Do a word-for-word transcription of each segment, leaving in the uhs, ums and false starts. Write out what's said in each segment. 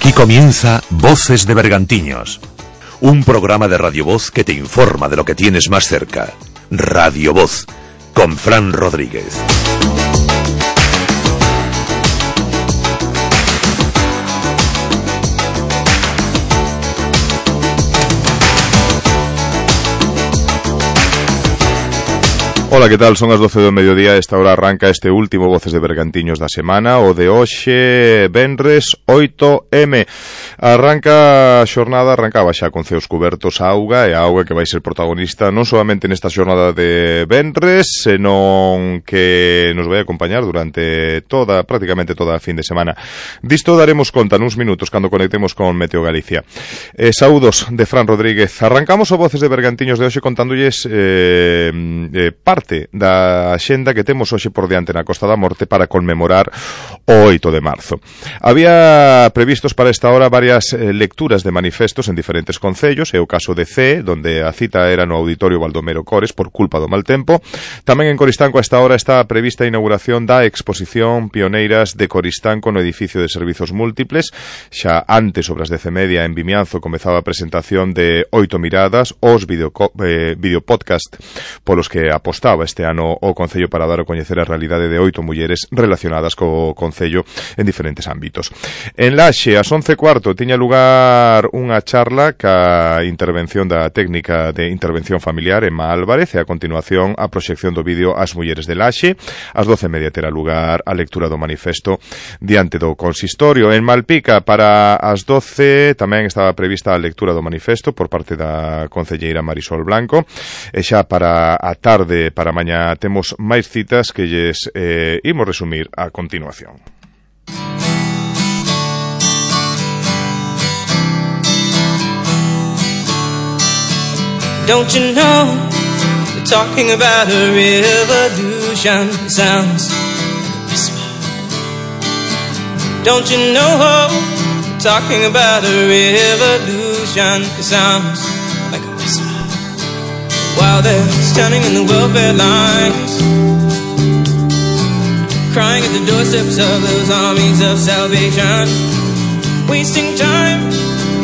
Aquí comienza Voces de Bergantiños, un programa de Radio Voz que te informa de lo que tienes más cerca. Radio Voz, con Fran Rodríguez. Ola, que tal? Son as doce do mediodía. Esta hora arranca este último Voces de Bergantiños da semana, o de hoxe, venres oito eme. Arranca a xornada, arrancaba xa con ceos cubertos a auga, e a auga que vai ser protagonista non solamente nesta xornada de venres, senón que nos vai acompañar durante toda, prácticamente toda a fin de semana. Disto daremos conta nuns minutos cando conectemos con Meteo Galicia. Eh, saúdos de Fran Rodríguez. Arrancamos o Voces de Bergantiños de hoxe contándolles eh, eh, parte da axenda que temos hoxe por diante na Costa da Morte para conmemorar o oito de marzo. Había previstos para esta hora varias eh, lecturas de manifestos en diferentes concellos, é o caso de Cee, donde a cita era no Auditorio Baldomero Cores por culpa do mal tempo. Tamén en Coristanco a esta hora está prevista a inauguración da exposición Pioneiras de Coristanco no edificio de servizos múltiples. Xa antes, sobre as dez e media, en Vimianzo comezaba a presentación de Oito Miradas, os video, eh, videopodcast polos que apostaba este ano o Concello para dar a coñecer a realidade de oito mulleres relacionadas co Concello en diferentes ámbitos. En Laxe, ás once e cuarto, tiña lugar unha charla ca intervención da técnica de intervención familiar Emma Álvarez, e a continuación a proxección do vídeo As mulleres de Laxe. Ás doce e media terá lugar a lectura do manifesto diante do consistorio. En Malpica, para as doce, tamén estaba prevista a lectura do manifesto por parte da concelleira Marisol Blanco, e xa para a tarde, para mañá, temos máis citas que lles eh, imos resumir a continuación. Don't you know, they're talking about a revolution, sounds like a whisper. Don't you know, they're talking about a revolution, it sounds like a whisper. While they're standing in the welfare lines, crying at the doorsteps of those armies of salvation, wasting time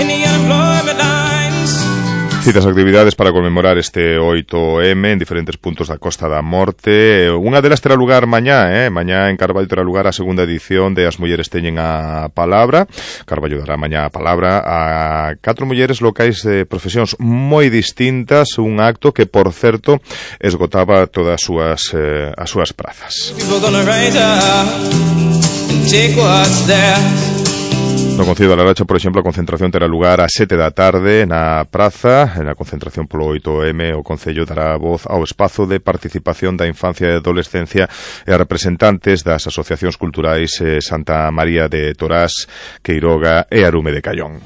in the unemployment lines. Citas actividades para conmemorar este oito eme en diferentes puntos da Costa da Morte. Unha delas terá lugar mañá, eh? Mañá en Carballo terá lugar a segunda edición de As mulleres teñen a palabra. Carballo dará mañá a palabra a catro mulleres locais de profesións moi distintas, un acto que, por certo, esgotaba todas as súas, eh, as súas prazas. No Concello da Laracha, por exemplo, a concentración terá lugar a sete da tarde na praza. Na concentración polo oito eme, o Concello dará voz ao espazo de participación da infancia e adolescencia e a representantes das asociacións culturais eh, Santa María de Torás, Queiroga e Arume de Callón.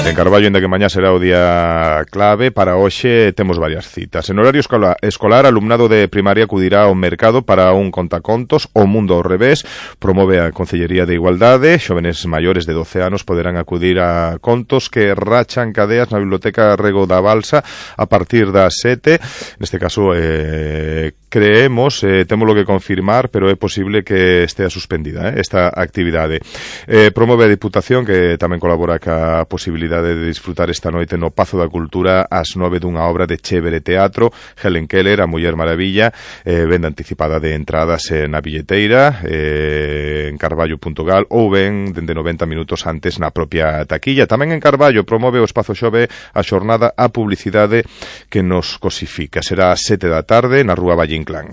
En Carballo, ainda que mañá será o día clave, para hoxe temos varias citas. En horario escolar, escolar alumnado de primaria acudirá ao mercado para un contacontos O Mundo ao Revés. Promove a Concellería de Igualdade. Xóvenes maiores de doce anos poderán acudir a contos que rachan cadeas na Biblioteca Rego da Balsa a partir das sete. Neste caso, eh, creemos, eh, temos lo que confirmar, pero é posible que estea suspendida eh, esta actividade. Eh, promove a Diputación, que tamén colabora ca posibilidade de disfrutar esta noite no Pazo da Cultura ás nove dunha obra de Chévere Teatro, Helen Keller, a Muller Maravilla, eh, venda anticipada de entradas eh, na billeteira, eh, en carballo punto gal, ou ben dende noventa minutos antes na propia taquilla. Tamén en Carballo promove o Espazo Xove a xornada A Publicidade que nos cosifica. Será ás sete da tarde na Rúa Valle Inclán.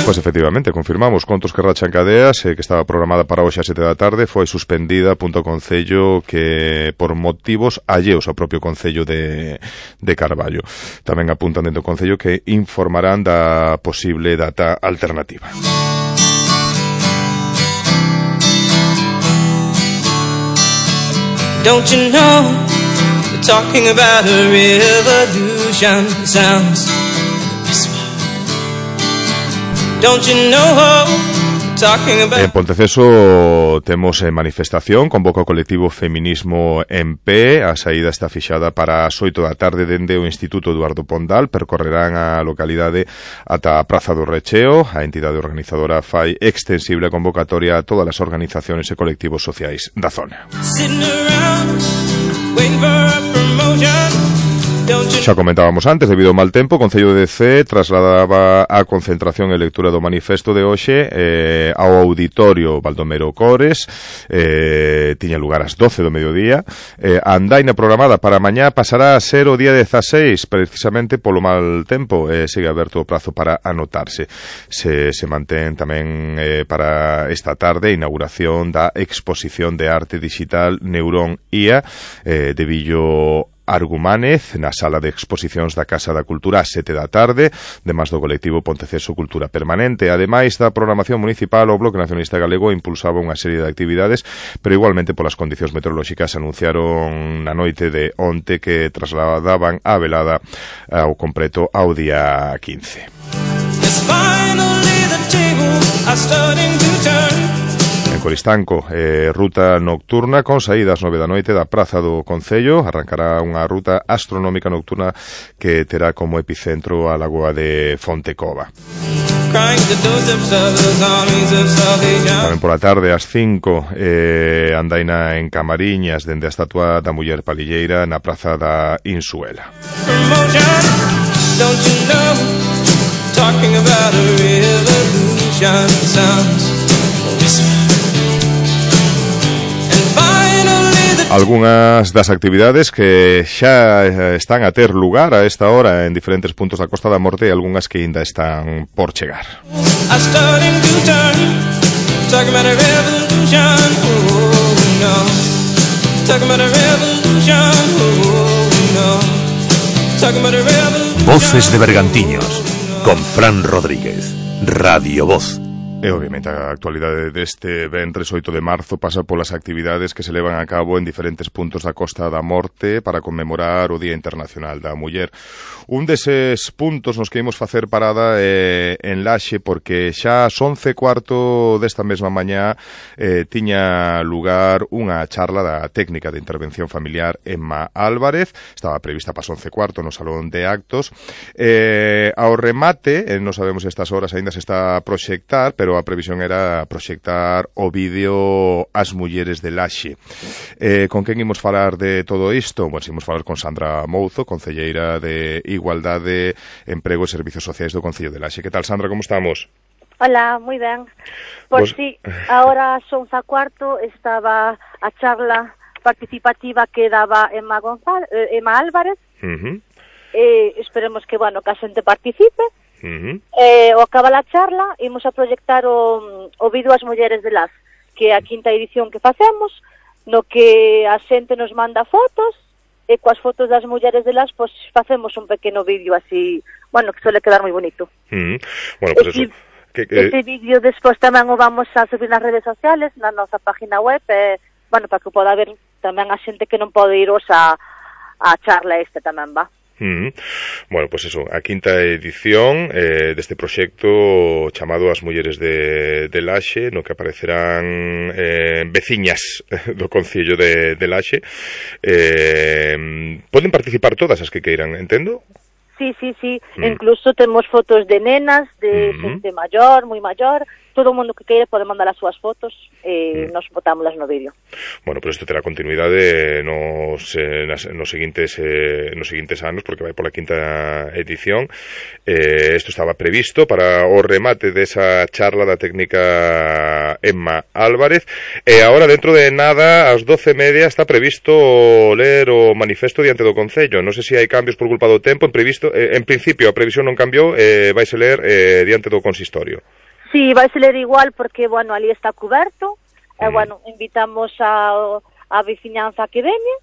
Pois efectivamente, confirmamos contos que rachan cadeas, eh, que estaba programada para hoxe a sete da tarde, foi suspendida punto Concello que por motivos alleos ao propio Concello de, de Carballo. Tamén apuntan dentro do Concello que informarán da posible data alternativa. Don't you know, they're talking about a revolution, sounds like a whisper. Don't you know, En Ponteceso temos eh, manifestación, convoca o colectivo Feminismo en Pé. A saída está fixada para as oito da tarde dende o Instituto Eduardo Pondal. Percorrerán a localidade ata a Praza do Recheo. A entidade organizadora fai extensible a convocatoria a todas as organizacións e colectivos sociais da zona. Xa comentábamos antes, debido ao mal tempo, o Concello de Cee trasladaba a concentración e lectura do manifesto de hoxe eh, ao auditorio Baldomero Cores. eh, tiña lugar ás doce do mediodía. eh, a andaina programada para mañá pasará a ser o día dezaseis, precisamente polo mal tempo. eh, sigue aberto o prazo para anotarse. Se, se mantén tamén eh, para esta tarde a inauguración da exposición de arte digital Neurón I A eh, de Villo Argumánez na sala de exposicións da Casa da Cultura a sete da tarde, demais do colectivo Ponteceso Cultura Permanente. Ademais da programación municipal, o Bloque Nacionalista Galego impulsaba unha serie de actividades, pero igualmente polas condicións meteorolóxicas anunciaron na noite de onte que trasladaban a velada ao completo ao día quince. En Coristanco, eh, ruta nocturna con saídas nove da noite da Praza do Concello. Arrancará unha ruta astronómica nocturna que terá como epicentro a lagoa de Fontecova. Tamén pola tarde, ás cinco, eh, andaina en Camariñas dende a estatua da Muller Palilleira na Praza da Insuela. Algunhas das actividades que xa están a ter lugar a esta hora en diferentes puntos da Costa da Morte e algunhas que ainda están por chegar. Voces de Bergantiños con Fran Rodríguez, Radio Voz. E, obviamente, a actualidade deste ventres oito de marzo pasa polas actividades que se levan a cabo en diferentes puntos da Costa da Morte para conmemorar o Día Internacional da Muller. Un deses puntos nos que imos facer parada é en Laxe, porque xa ás once e cuarto desta mesma mañá eh, tiña lugar unha charla da técnica de intervención familiar Emma Álvarez. Estaba prevista para as once e cuarto no Salón de Actos. Eh, ao remate, eh, non sabemos estas horas aínda se está a proxectar, pero a previsión era proxectar o vídeo As Mulleres de Laxe. Eh, con quen imos falar de todo isto? Bueno, imos falar con Sandra Mouzo, concelleira de Igualdade, Emprego e Servicios Sociais do Concello de Laxe. Que tal, Sandra, como estamos? Hola, moi ben. Pois pues, sí, ahora son xa cuarto, estaba a charla participativa que daba Emma, González, eh, Emma Álvarez. Uh-huh. eh, esperemos que, bueno, que a xente participe. Uh-huh. Eh, o acaba a charla, imos a proyectar o, o vídeo As Mulleres de Las, que é a quinta edición que facemos, no que a xente nos manda fotos, e coas fotos das mulleres de Las, pois facemos un pequeno vídeo así, bueno, que suele quedar moi bonito. Uh-huh. Bueno, pues ese, eso. Que, que... Ese vídeo despois tamén o vamos a subir nas redes sociales, na nosa página web, eh, bueno, para que poda ver tamén a xente que non pode iros a, a charla este tamén, va. Mm. Bueno, pues eso, a quinta edición eh, deste proxecto chamado As Mulleres de, de Laxe, no que aparecerán eh, veciñas do Concello de, de Laxe. Eh, poden participar todas as que queiran, entendo? Sí, sí, sí, mm. Incluso temos fotos de nenas, de mm-hmm. xente maior, moi maior. Todo o mundo que queira pode mandar as súas fotos e mm. nos botámoslas no vídeo. Bueno, pero isto terá continuidade nos, eh, nas, nos, seguintes, eh, nos seguintes anos, porque vai pola quinta edición. Eh, isto estaba previsto para o remate desa charla da técnica Emma Álvarez. E agora, dentro de nada, ás doce e media, está previsto ler o manifesto diante do Concello. Non sei se hai cambios por culpa do tempo. En, previsto, eh, en principio, a previsión non cambiou, eh, vaise ler eh, diante do consistorio. Sí, vai se ler igual porque, bueno, ali está coberto, e, mm. bueno, invitamos a, a veciñanza que veñe,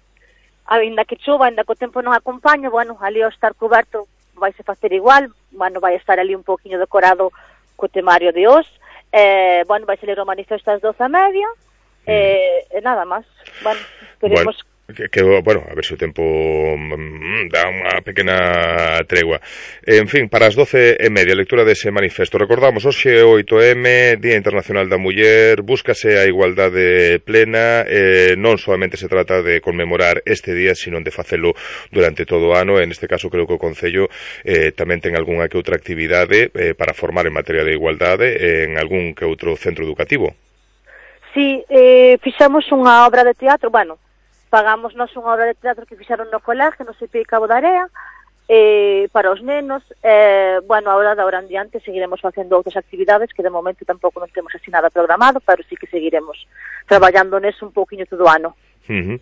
ainda que chova, ainda que o tempo non acompaña, bueno, ali ao estar coberto vai se facer igual, bueno, vai estar ali un poquinho decorado co temario de hoxe, eh, bueno, vai se ler o manifesto ás doce e media, mm. eh, e nada máis, bueno, esperemos... Bueno. Que, que, bueno, a ver se o tempo mm, dá unha pequena tregua. En fin, para as doce e media, lectura dese manifesto. Recordamos, hoxe oito eme, Día Internacional da Muller, búscase a igualdade plena, eh, non solamente se trata de conmemorar este día, sino de facelo durante todo o ano. En este caso, creo que o Concello eh, tamén ten algunha que outra actividade eh, para formar en materia de igualdade en algún que outro centro educativo. Sí, eh, fixamos unha obra de teatro, bueno, pagamos nós unha obra de teatro que fixaron no colégio, no C P I Cabo da Area, eh, para os nenos. Eh, bueno, agora da hora en diante seguiremos facendo outras actividades que de momento tampouco non temos así nada programado, pero sí que seguiremos traballando neso un pouquiño todo o ano. Uh -huh.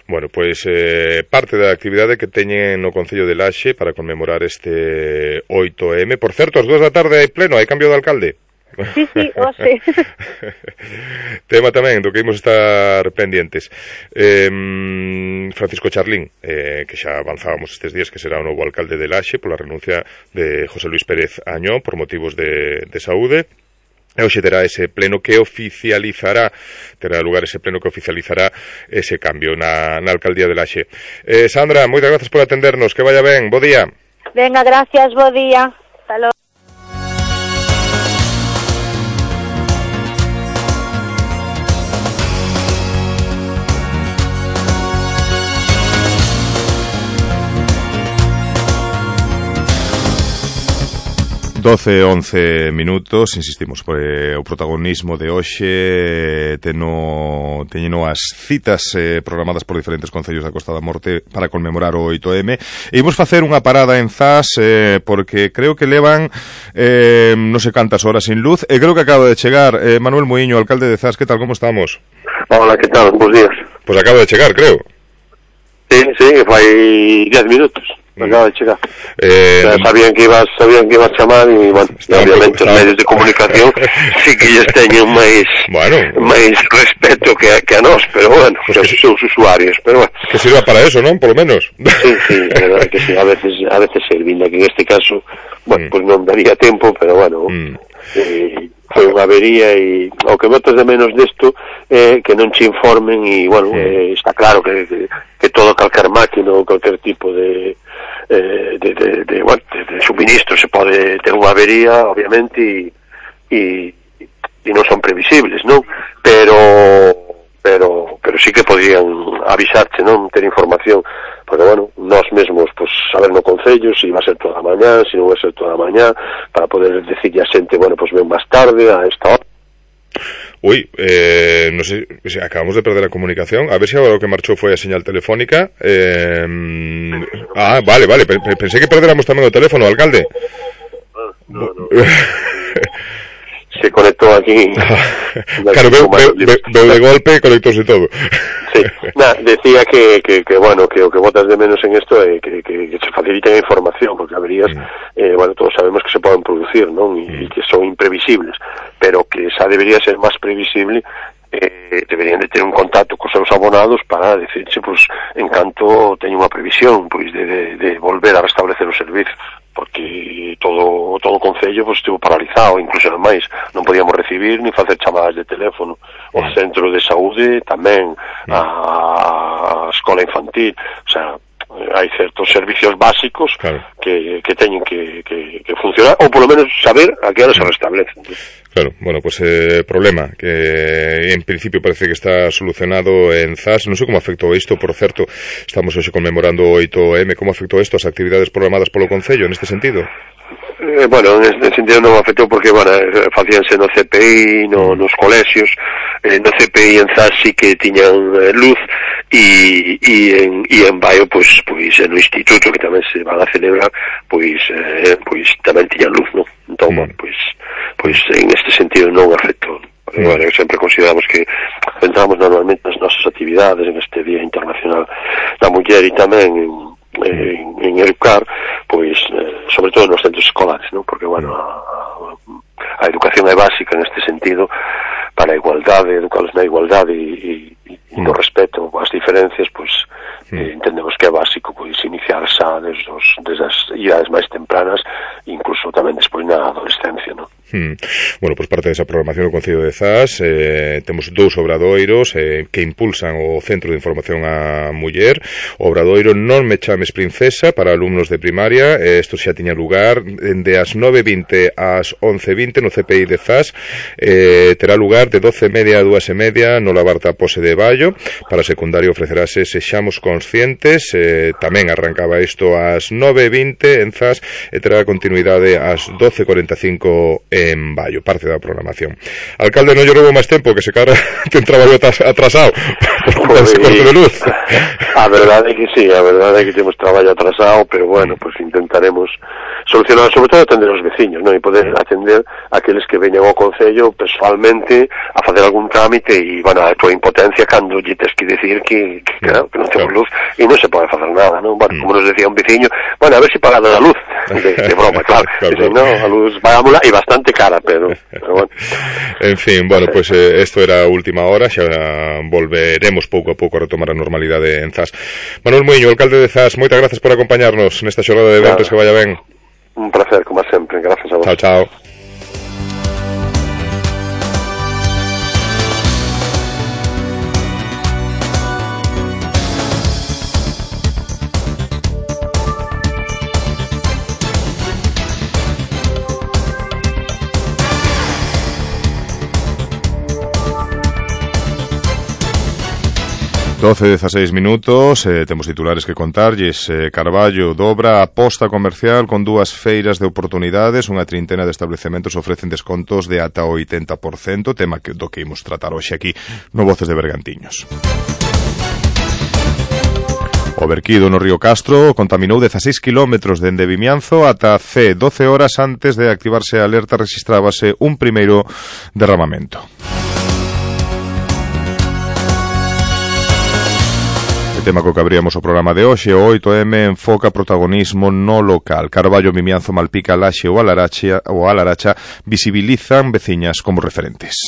Bueno, pois eh, parte da actividade que teñen no Concello de Laxe para conmemorar este oito eme. Por certo, as dúas da tarde hai pleno, hai cambio de alcalde. Sí, sí, o sí. Tema tamén do que imos estar pendientes. eh, Francisco Charlín, eh, que xa avanzábamos estes días que será o novo alcalde de Laxe pola renuncia de José Luis Pérez Añón por motivos de, de saúde. E hoxe terá ese pleno que oficializará, terá lugar ese pleno que oficializará ese cambio na, na alcaldía de Laxe. eh, Sandra, moitas grazas por atendernos, que vaya ben, bo día. Venga, gracias, bo día. Hasta logo. doce, once minutos, insistimos, por eh, o protagonismo de hoxe teno, teñeno as citas eh, programadas por diferentes concellos da Costa da Morte para conmemorar o oito eme, e imos facer unha parada en Zas eh, porque creo que levan eh, non sei cantas horas sin luz, e creo que acaba de chegar eh, Manuel Muiño, alcalde de Zas. Que tal, como estamos? Hola, que tal? Bos días. Pois acaba de chegar, creo. Sí, sí, fai diez minutos. Acaba de chegar. Eh, o sea, sabían que ibas, sabían que ibas a chamar e, bueno, obviamente os medios de comunicación sí que lles teñen máis bueno, máis respeto que a, que a nós, pero bueno, pues que son os usuarios, pero bueno. Que sirva para eso, non? Por lo menos. Sí, sí, é verdade que sí, a veces a veces servinda, que en este caso, bueno, mm. pues non daría tempo, pero bueno, mm. eh, foi unha avería e o que botas de menos desto é eh, que non che informen e, bueno, sí. eh, está claro que, que, que todo calquer máquina ou calquer tipo de Eh, de, de, de, bueno, de, de suministro se pode ter unha avería, obviamente, e, e, e non son previsibles, non? Pero pero pero sí que podían avisarte, non? Ter información, porque, bueno, nós mesmos, pues, saber no Concello se iba a ser toda a mañá, se non vai ser toda a mañá, para poder decirle a xente, bueno, pues ven máis tarde, a esta hora. Uy, eh, no sé, acabamos de perder la comunicación. A ver si ahora lo que marchó fue a señal telefónica. Eh, ah, vale, vale. Pensé que perdiéramos también el teléfono, alcalde. No, no. Se conectó aquí. Claro, veo, veo, veo, veo de golpe, conectóse todo. Sí, nada, decía que, que, que, bueno, que o que botas de menos en esto é que, que, que se facilite a información, porque averías, mm. eh, bueno, todos sabemos que se poden producir, non? E mm. que son imprevisibles, pero que esa debería ser máis previsible. Eh, deberían de ter un contacto cos seus abonados para decirse, pues, en canto teña unha previsión, pois, de, de, de volver a restablecer o servizo, porque todo todo o Concello, pues, estivo paralizado, incluso máis, non podíamos recibir ni facer chamadas de teléfono. O centro de saúde tamén, a escola infantil, o sea, hai certos servicios básicos, claro, que, que teñen que, que, que funcionar, ou polo menos saber a que hora se restablecen. Claro, bueno, pues eh, problema que en principio parece que está solucionado en Zas. Non sei como afectou isto, por certo, estamos hoxe conmemorando o oito eme, como afectou isto as actividades programadas polo Concello neste sentido? Eh, bueno, en este sentido non afectou porque, bueno, facíanse no C P I, no, nos colexios, eh, no C P I en Zas sí que tiñan eh, luz e, e, en, e en Baio, pois, pois, no instituto que tamén se van a celebrar, pois, eh, pois tamén tiñan luz, non? Entón, mm. bueno, pois, pois en este sentido non afectou. Mm. Bueno, sempre consideramos que entramos normalmente nas nosas actividades en este Día Internacional da Muller e tamén en En, en educar, pois, eh, sobre todo nos centros escolares, ¿no? Porque, bueno, a, a educación é básica neste sentido para a igualdade, educarlos na igualdade e, e, e no respeto ás diferencias, pois, eh, entendemos que é básico, pois, iniciar xa desde, os, desde as idades máis tempranas, incluso tamén despois na adolescencia, ¿no? Hmm. Bueno, pois pues parte desa programación do Concello de Zas, eh, temos dous obradoiros eh, que impulsan o Centro de Información á Muller. O obradoiro Non me chames princesa para alumnos de primaria, eh, isto xa tiña lugar de as nove e vinte ás once e vinte no C P I de Zas, eh, terá lugar de doce e media a dúas e media no Labarta Pose de Baio. Para secundario ofrecerase Sexamos Conscientes, eh, tamén arrancaba isto ás nove e vinte en Zas e terá continuidade ás doce e cuarenta e cinco en Baio, parte da programación. Alcalde, non lle roubo máis tempo, que se cara ten traballo atrasado por culpa dese corte de luz. A verdade é que sí, a verdade é que temos traballo atrasado, pero bueno, pues intentaremos solucionar, sobre todo atender aos veciños, non? E poder atender a aqueles que veñan ao Concello personalmente a facer algún trámite e, bueno, a tua impotencia cando lle tes que decir que, que, claro, que non temos luz e non se pode facer nada, non? Bueno, como nos decía un veciño, bueno, a ver se si pagada a luz, de, de broma, claro, claro. Dice, no, a luz pagámola e bastante cara, pero, pero bueno. En fin, bueno, pois pues, eh, esto era a última hora, xa volveremos pouco a pouco a retomar a normalidade en Zas. Manuel Muiño, alcalde de Zas, moitas grazas por acompañarnos nesta xornada de eventos, claro. Que vaya ben. Un placer, como sempre, gracias a vos. Chao, chao. doce e dezaseis minutos, eh, temos titulares que contarlles. eh, Carballo dobra a aposta comercial con dúas feiras de oportunidades, unha trintena de establecementos ofrecen descontos de ata o oitenta por cento, tema que, do que imos tratar hoxe aquí no Voces de Bergantiños. O verquido no río Castro contaminou dezaseis kilómetros dende Vimianzo ata C. doce horas antes de activarse a alerta rexistrábase un primeiro derramamento. Tema co que abríamos o programa de hoxe, o oito eme enfoca protagonismo no local. Carballo, Vimianzo, Malpica, Laxe ou Alaracha, ou Alaracha visibilizan veciñas como referentes.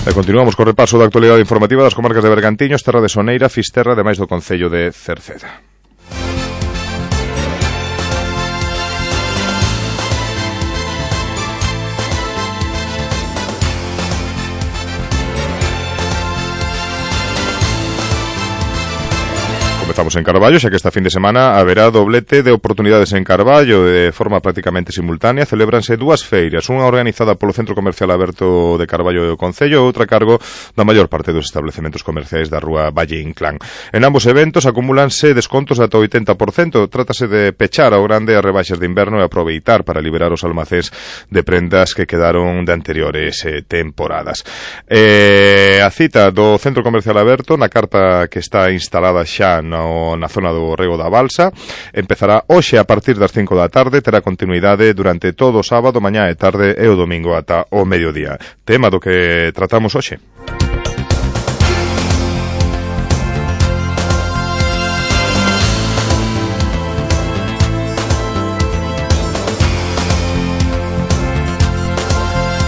E continuamos co repaso da actualidade informativa das comarcas de Bergantiños, Terra de Soneira, Fisterra, ademais do concello de Cerceda. Comezamos en Carballo, xa que esta fin de semana haberá doblete de oportunidades en Carballo de forma prácticamente simultánea. Celébranse dúas feiras, unha organizada polo Centro Comercial Aberto de Carballo e o Concello e outra a cargo da maior parte dos establecementos comerciais da rúa Valle Inclán. En ambos eventos acumúlanse descontos de ata oitenta por cento. Trátase de pechar ao grande as rebaixas de inverno e aproveitar para liberar os almacéns de prendas que quedaron de anteriores eh, temporadas. Eh, a cita do Centro Comercial Aberto na carta que está instalada xa no na zona do Rego da Balsa empezará hoxe a partir das cinco da tarde, terá continuidade durante todo o sábado, mañá e tarde e o domingo ata o mediodía. Tema do que tratamos hoxe.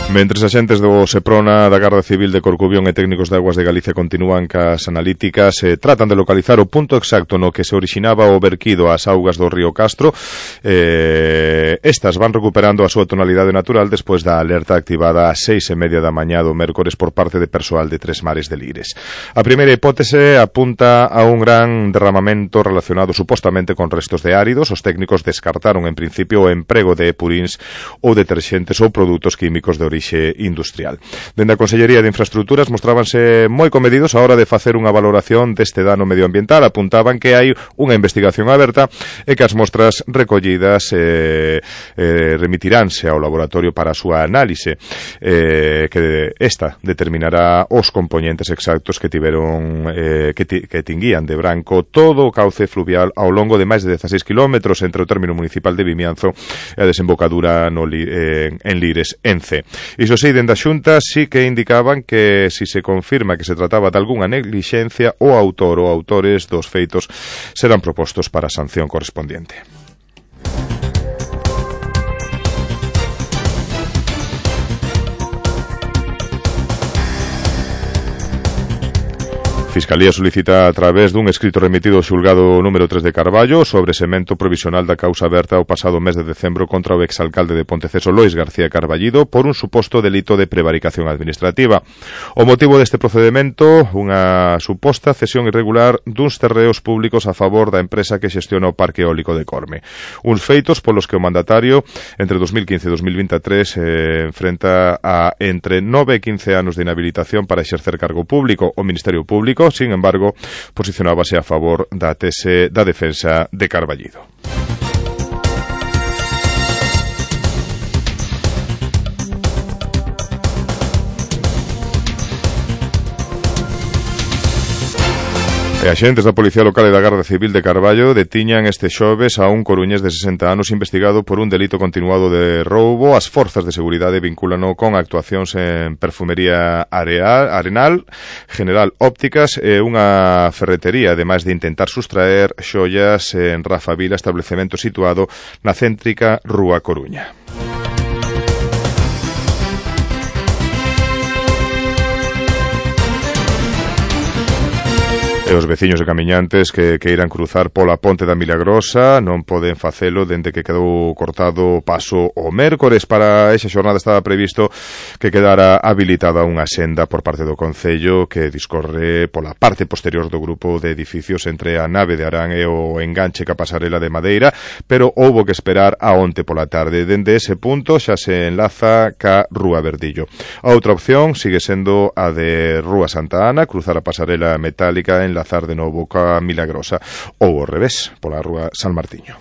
Mentres axentes do Seprona, da Garda Civil de Corcubión e técnicos de Aguas de Galicia continúan cas analíticas, eh, tratan de localizar o punto exacto no que se orixinaba o verquido ás augas do río Castro. Eh, estas van recuperando a súa tonalidade natural despois da alerta activada ás seis e media da mañá do mércores por parte de persoal de Tres Mares de Lires. A primeira hipótese apunta a un gran derramamento relacionado supostamente con restos de áridos. Os técnicos descartaron en principio o emprego de purins ou deterxentes ou produtos químicos de orixe industrial. Dende a Consellería de Infraestructuras mostrábanse moi comedidos a hora de facer unha valoración deste dano medioambiental. Apuntaban que hai unha investigación aberta e que as mostras recollidas eh, eh, remitiránse ao laboratorio para a súa análise, eh, que esta determinará os componentes exactos que tiveron eh, que, ti, que tinguían de branco todo o cauce fluvial ao longo de máis de dezaseis kilómetros entre o término municipal de Vimianzo e a desembocadura no, eh, en Lires, en C. Iso sí, dende a Xunta sí que indicaban que si se confirma que se trataba de algunha neglixencia, o autor ou autores dos feitos serán propostos para a sanción correspondiente. Fiscalía solicita a través dun escrito remitido ao xulgado número tres de Carballo sobre semento provisional da causa aberta o pasado mes de decembro contra o exalcalde de Ponteceso Lois García Carballido por un suposto delito de prevaricación administrativa. O motivo deste procedemento, unha suposta cesión irregular duns terreos públicos a favor da empresa que xestiona o Parque Eólico de Corme. Uns feitos polos que o mandatario entre dos mil quince e dos mil vinte e tres eh, enfrenta a entre nove e quince anos de inhabilitación para exercer cargo público. O Ministerio Público, sin embargo, posicionábase a favor da tese da defensa de Carballido. E axentes da Policía Local e da Garda Civil de Carballo detiñan este xoves a un coruñés de sesenta anos investigado por un delito continuado de roubo. As forzas de seguridade vincúlano con actuacións en perfumería areal, arenal, General Ópticas e unha ferretería, ademais de intentar sustraer xoias en Rafa Vila, establecemento situado na céntrica Rúa Coruña. E os veciños e camiñantes que queiran cruzar pola Ponte da Milagrosa non poden facelo dende que quedou cortado o paso o mércores. Para esa xornada estaba previsto que quedara habilitada unha senda por parte do Concello que discorre pola parte posterior do grupo de edificios entre a nave de Arán e o enganche ca pasarela de Madeira, pero houbo que esperar a onte pola tarde. Dende ese punto xa se enlaza ca Rúa Verdillo. A outra opción sigue sendo a de Rúa Santa Ana, cruzar a pasarela metálica en enlazar de novo ca Milagrosa ou ao revés, pola Rúa San Martiño.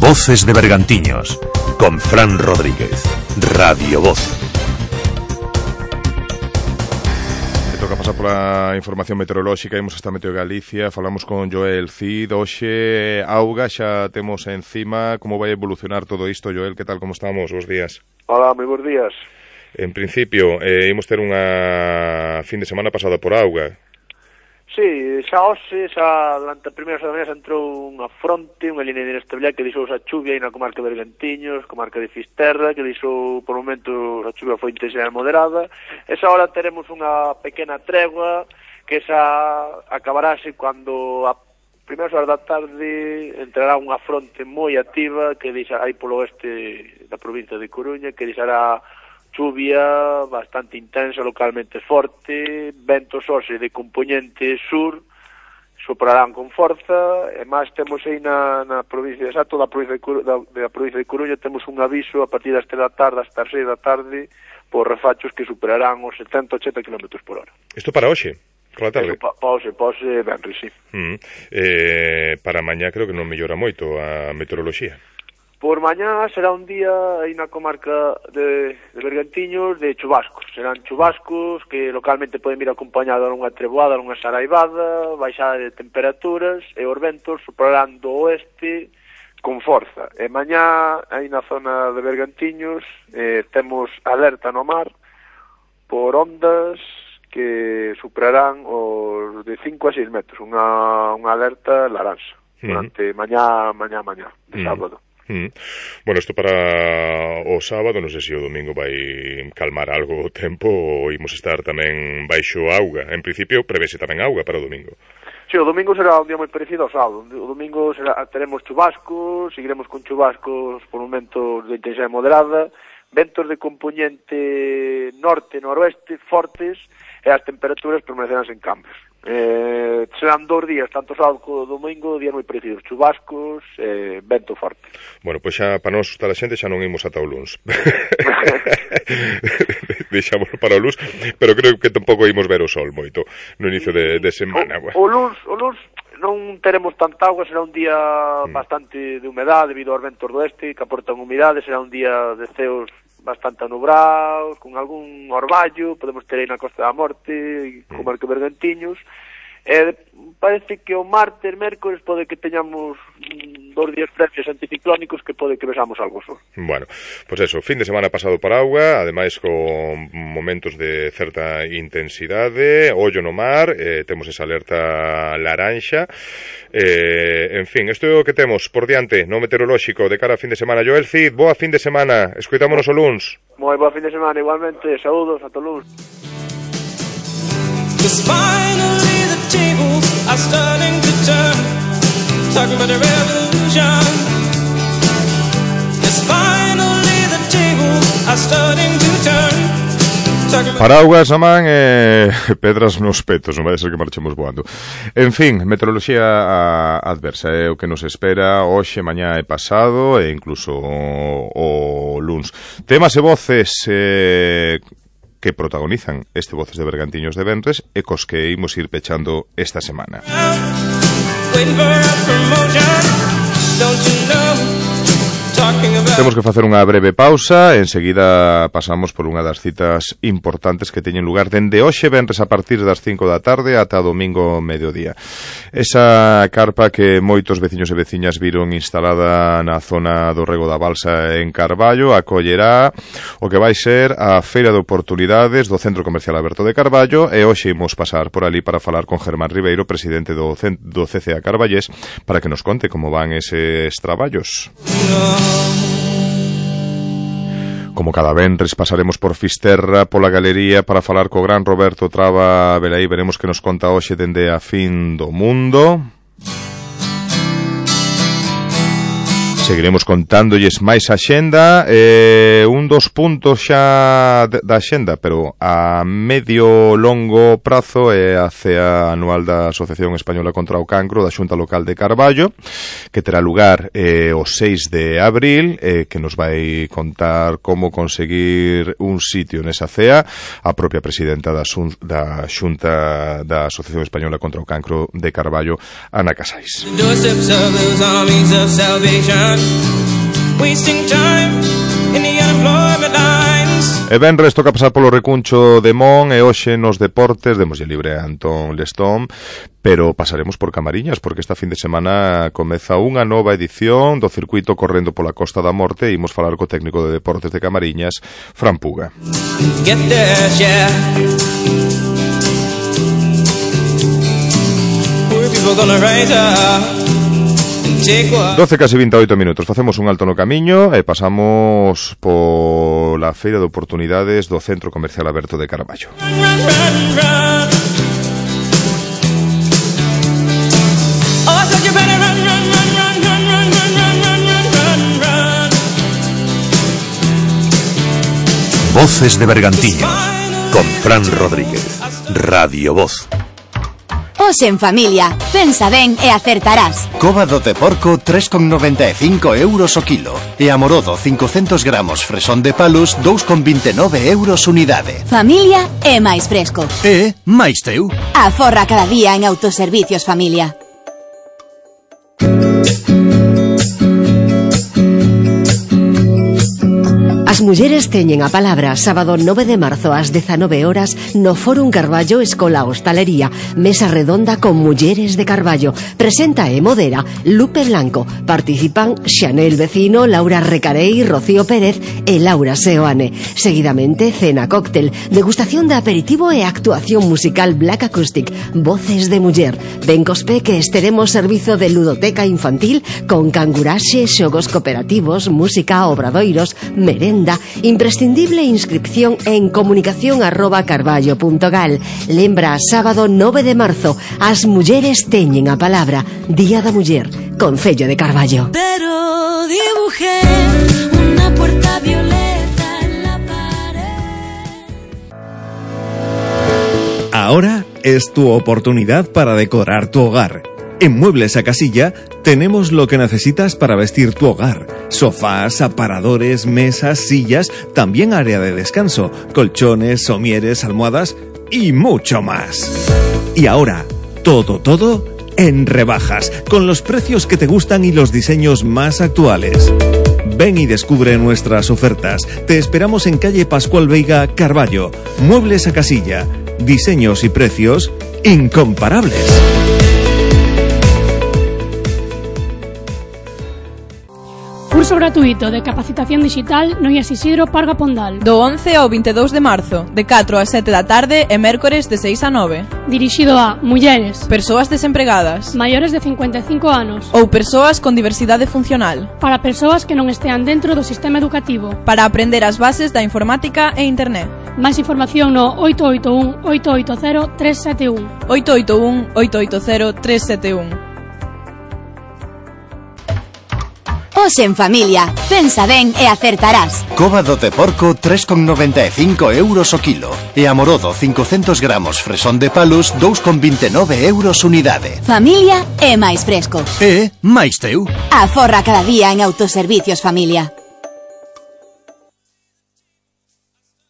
Voces de Bergantiños con Fran Rodríguez, Radio Voz. Toca pasar pola información meteorolóxica, imos hasta Meteo Galicia, falamos con Joel Cid, hoxe auga, xa temos encima, como vai evolucionar todo isto, Joel, que tal, como estamos, bos días? Hola, moi bons días. En principio, eh, imos ter unha fin de semana pasada por auga. Sí, xa hoxe, xa durante a primeira semana entrou unha fronte, unha línea de inestabilidade que deixou a chuvia aí na comarca de Bergantiños, comarca de Fisterra, que deixou, por momentos, a chuvia foi intensa e moderada. Esa hora teremos unha pequena tregua que xa acabarase cando a primeiras horas da tarde entrará unha fronte moi activa que deixa aí polo oeste da provincia de Coruña, que deixará chuvia bastante intensa, localmente forte, ventos hoxe de componente sur, soprarán con forza, e máis temos aí na, na provincia, exacto, da provincia de, Coru, da, da provincia de Coruña, temos un aviso a partir das tres da tarde hasta as seis da tarde por refachos que superarán os setenta a ochenta kilómetros por hora. Isto para hoxe? Por la tarde? Pa, pa hoxe, pa hoxe, venre, sí. Mm. Eh, para mañá creo que non mellora moito a meteoroloxía. Por mañá será un día aí na comarca de, de Bergantiños de chubascos. Serán chubascos que localmente poden vir acompañados dunha treboada, dunha saraivada, baixada de temperaturas e os ventos soprarán do oeste con forza. E mañá aí na zona de Bergantiños eh, temos alerta no mar por ondas que superarán os de cinco a seis metros, unha, unha alerta laranxa durante uh-huh. mañá, mañá, mañá, de uh-huh. sábado. Mm. Bueno, isto para o sábado, non sei se o domingo vai calmar algo o tempo ou imos estar tamén baixo auga. En principio prevese tamén auga para o domingo. Sí, o domingo será un día moi parecido ao sábado. O domingo será, teremos chubascos, seguiremos con chubascos por momentos de intensidade moderada, ventos de componente norte-noroeste fortes e as temperaturas permanecerán sen cambios. Eh, serán dous días, tanto sábado como domingo, días moi parecidos, chubascos, eh, vento forte. Bueno, pois xa, para non asustar a xente, xa non imos ata o luns. Deixámoslo para o luns, pero creo que tampouco imos ver o sol moito no inicio de, de semana. O, o luns, o luns non teremos tanta auga, será un día mm. bastante de humedade debido aos ventos do oeste que aportan humidade, será un día de ceos bastante anubrados, con algún orballo, podemos ter aí na Costa da Morte, comarca de Bergantiños, E parece que o martes, mércores, pode que teñamos dos días previos anticiclónicos que pode que vexamos algo só. Bueno, pois pues eso, fin de semana pasado por auga, ademais con momentos de certa intensidade, ollo no mar, eh, temos esa alerta laranxa, eh, en fin, isto é o que temos por diante no meteorolóxico de cara a fin de semana. Joel Cid, boa fin de semana, escoitámonos o luns. Moi boa fin de semana, igualmente, saúdos, ata o luns. Cause finally the tables are starting to turn, talking about a revolution. Yes, finally the tables are starting to turn. Paraugas na man e pedras nos petos, non vai ser que marchemos voando. En fin, meteoroloxía adversa é o que nos espera hoxe, mañá e pasado e incluso o, o luns. Temas e voces eh, que protagonizan este Voces de Bergantiños de venres e cos que imos ir pechando esta semana. Temos que facer unha breve pausa, enseguida pasamos por unha das citas importantes que teñen lugar dende hoxe venres a partir das cinco da tarde ata domingo mediodía. Esa carpa que moitos veciños e veciñas viron instalada na zona do Rego da Balsa en Carballo acollerá o que vai ser a Feira de Oportunidades do Centro Comercial Aberto de Carballo e hoxe imos pasar por ali para falar con Germán Ribeiro, presidente do, do C C A Carballés, para que nos conte como van eses traballos. Como cada venres pasaremos por Fisterra, pola galería, para falar co gran Roberto Traba Velaí. Veremos que nos conta hoxe dende a fin do mundo. Seguiremos contándolles máis a xenda, eh, un dos puntos xa da xenda, pero a medio longo prazo é a cea anual da Asociación Española contra o Cancro da Xunta Local de Carballo, que terá lugar eh, o seis de abril, eh, que nos vai contar como conseguir un sitio nesa cea a propia presidenta da, Xun, da Xunta da Asociación Española contra o Cancro de Carballo, Ana Casais. Wasting time in the unemployment lines. E venres toca pasar polo recuncho de Mon e hoxe nos deportes demoslle libre a Antón Lestón, pero pasaremos por Camariñas porque esta fin de semana comeza unha nova edición do circuito correndo pola Costa da Morte e imos falar co técnico de deportes de Camariñas, Fran Puga. Get there, yeah. Poor people gonna rise up. doce casi vinte e oito minutos. Facemos un alto no camiño e pasamos pola Feira de Oportunidades do Centro Comercial Aberto de Carballo. Voces de Bergantiños con Fran Rodríguez, Radio Voz. Hoxe en familia, pensa ben e acertarás. Cóbado de porco tres con noventa e cinco euros o kilo e amorodo cincocentos gramos fresón de palos dous con vinte e nove euros unidade. Familia é máis fresco. E máis teu. Aforra cada día en Autoservicios Familia. As mulleres teñen a palabra sábado nove de marzo ás dezanove horas no Fórum Carballo Escola Hostalería, mesa redonda con mulleres de Carballo. Presenta e modera Lupe Blanco. Participan Xanel Vecino, Laura Recarei, Rocío Pérez e Laura Seoane. Seguidamente cena cóctel, degustación de aperitivo e actuación musical Black Acoustic, Voces de Muller. Ben cospe que esteremos servizo de ludoteca infantil con canguraxe, xogos cooperativos, música, obradoiros, merenda. Imprescindible inscripción en comunicación arroba carballo punto gal. Lembra, sábado nove de marzo, as mulleres teñen a palabra. Día da Muller, Concello de Carballo. Pero dibujé una puerta violeta en la pared. Ahora es tu oportunidad para decorar tu hogar. En Muebles a Casilla tenemos lo que necesitas para vestir tu hogar. Sofás, aparadores, mesas, sillas, también área de descanso, colchones, somieres, almohadas y mucho más. Y ahora, todo, todo en rebajas, con los precios que te gustan y los diseños más actuales. Ven y descubre nuestras ofertas. Te esperamos en calle Pascual Veiga, Carballo. Muebles a Casilla. Diseños y precios incomparables. Curso gratuito de capacitación digital no I A S Isidro Parga Pondal. Do once ao veintidós de marzo, de catro a sete da tarde e mércores de seis a nove. Dirixido a mulleres, persoas desempregadas, maiores de cincuenta e cinco anos ou persoas con diversidade funcional. Para persoas que non estean dentro do sistema educativo. Para aprender as bases da informática e internet. Máis información no oito oito un, oito oito cero, tres sete un. oito oito un, oito oito cero, tres sete un. Os en familia, pensa ben e acertarás. Cóbado de porco tres con noventa e cinco euros o kilo e amorodo cincocentos gramos fresón de palos dous con vinte e nove euros unidade. Familia é máis fresco. E máis teu. Aforra cada día en Autoservicios Familia.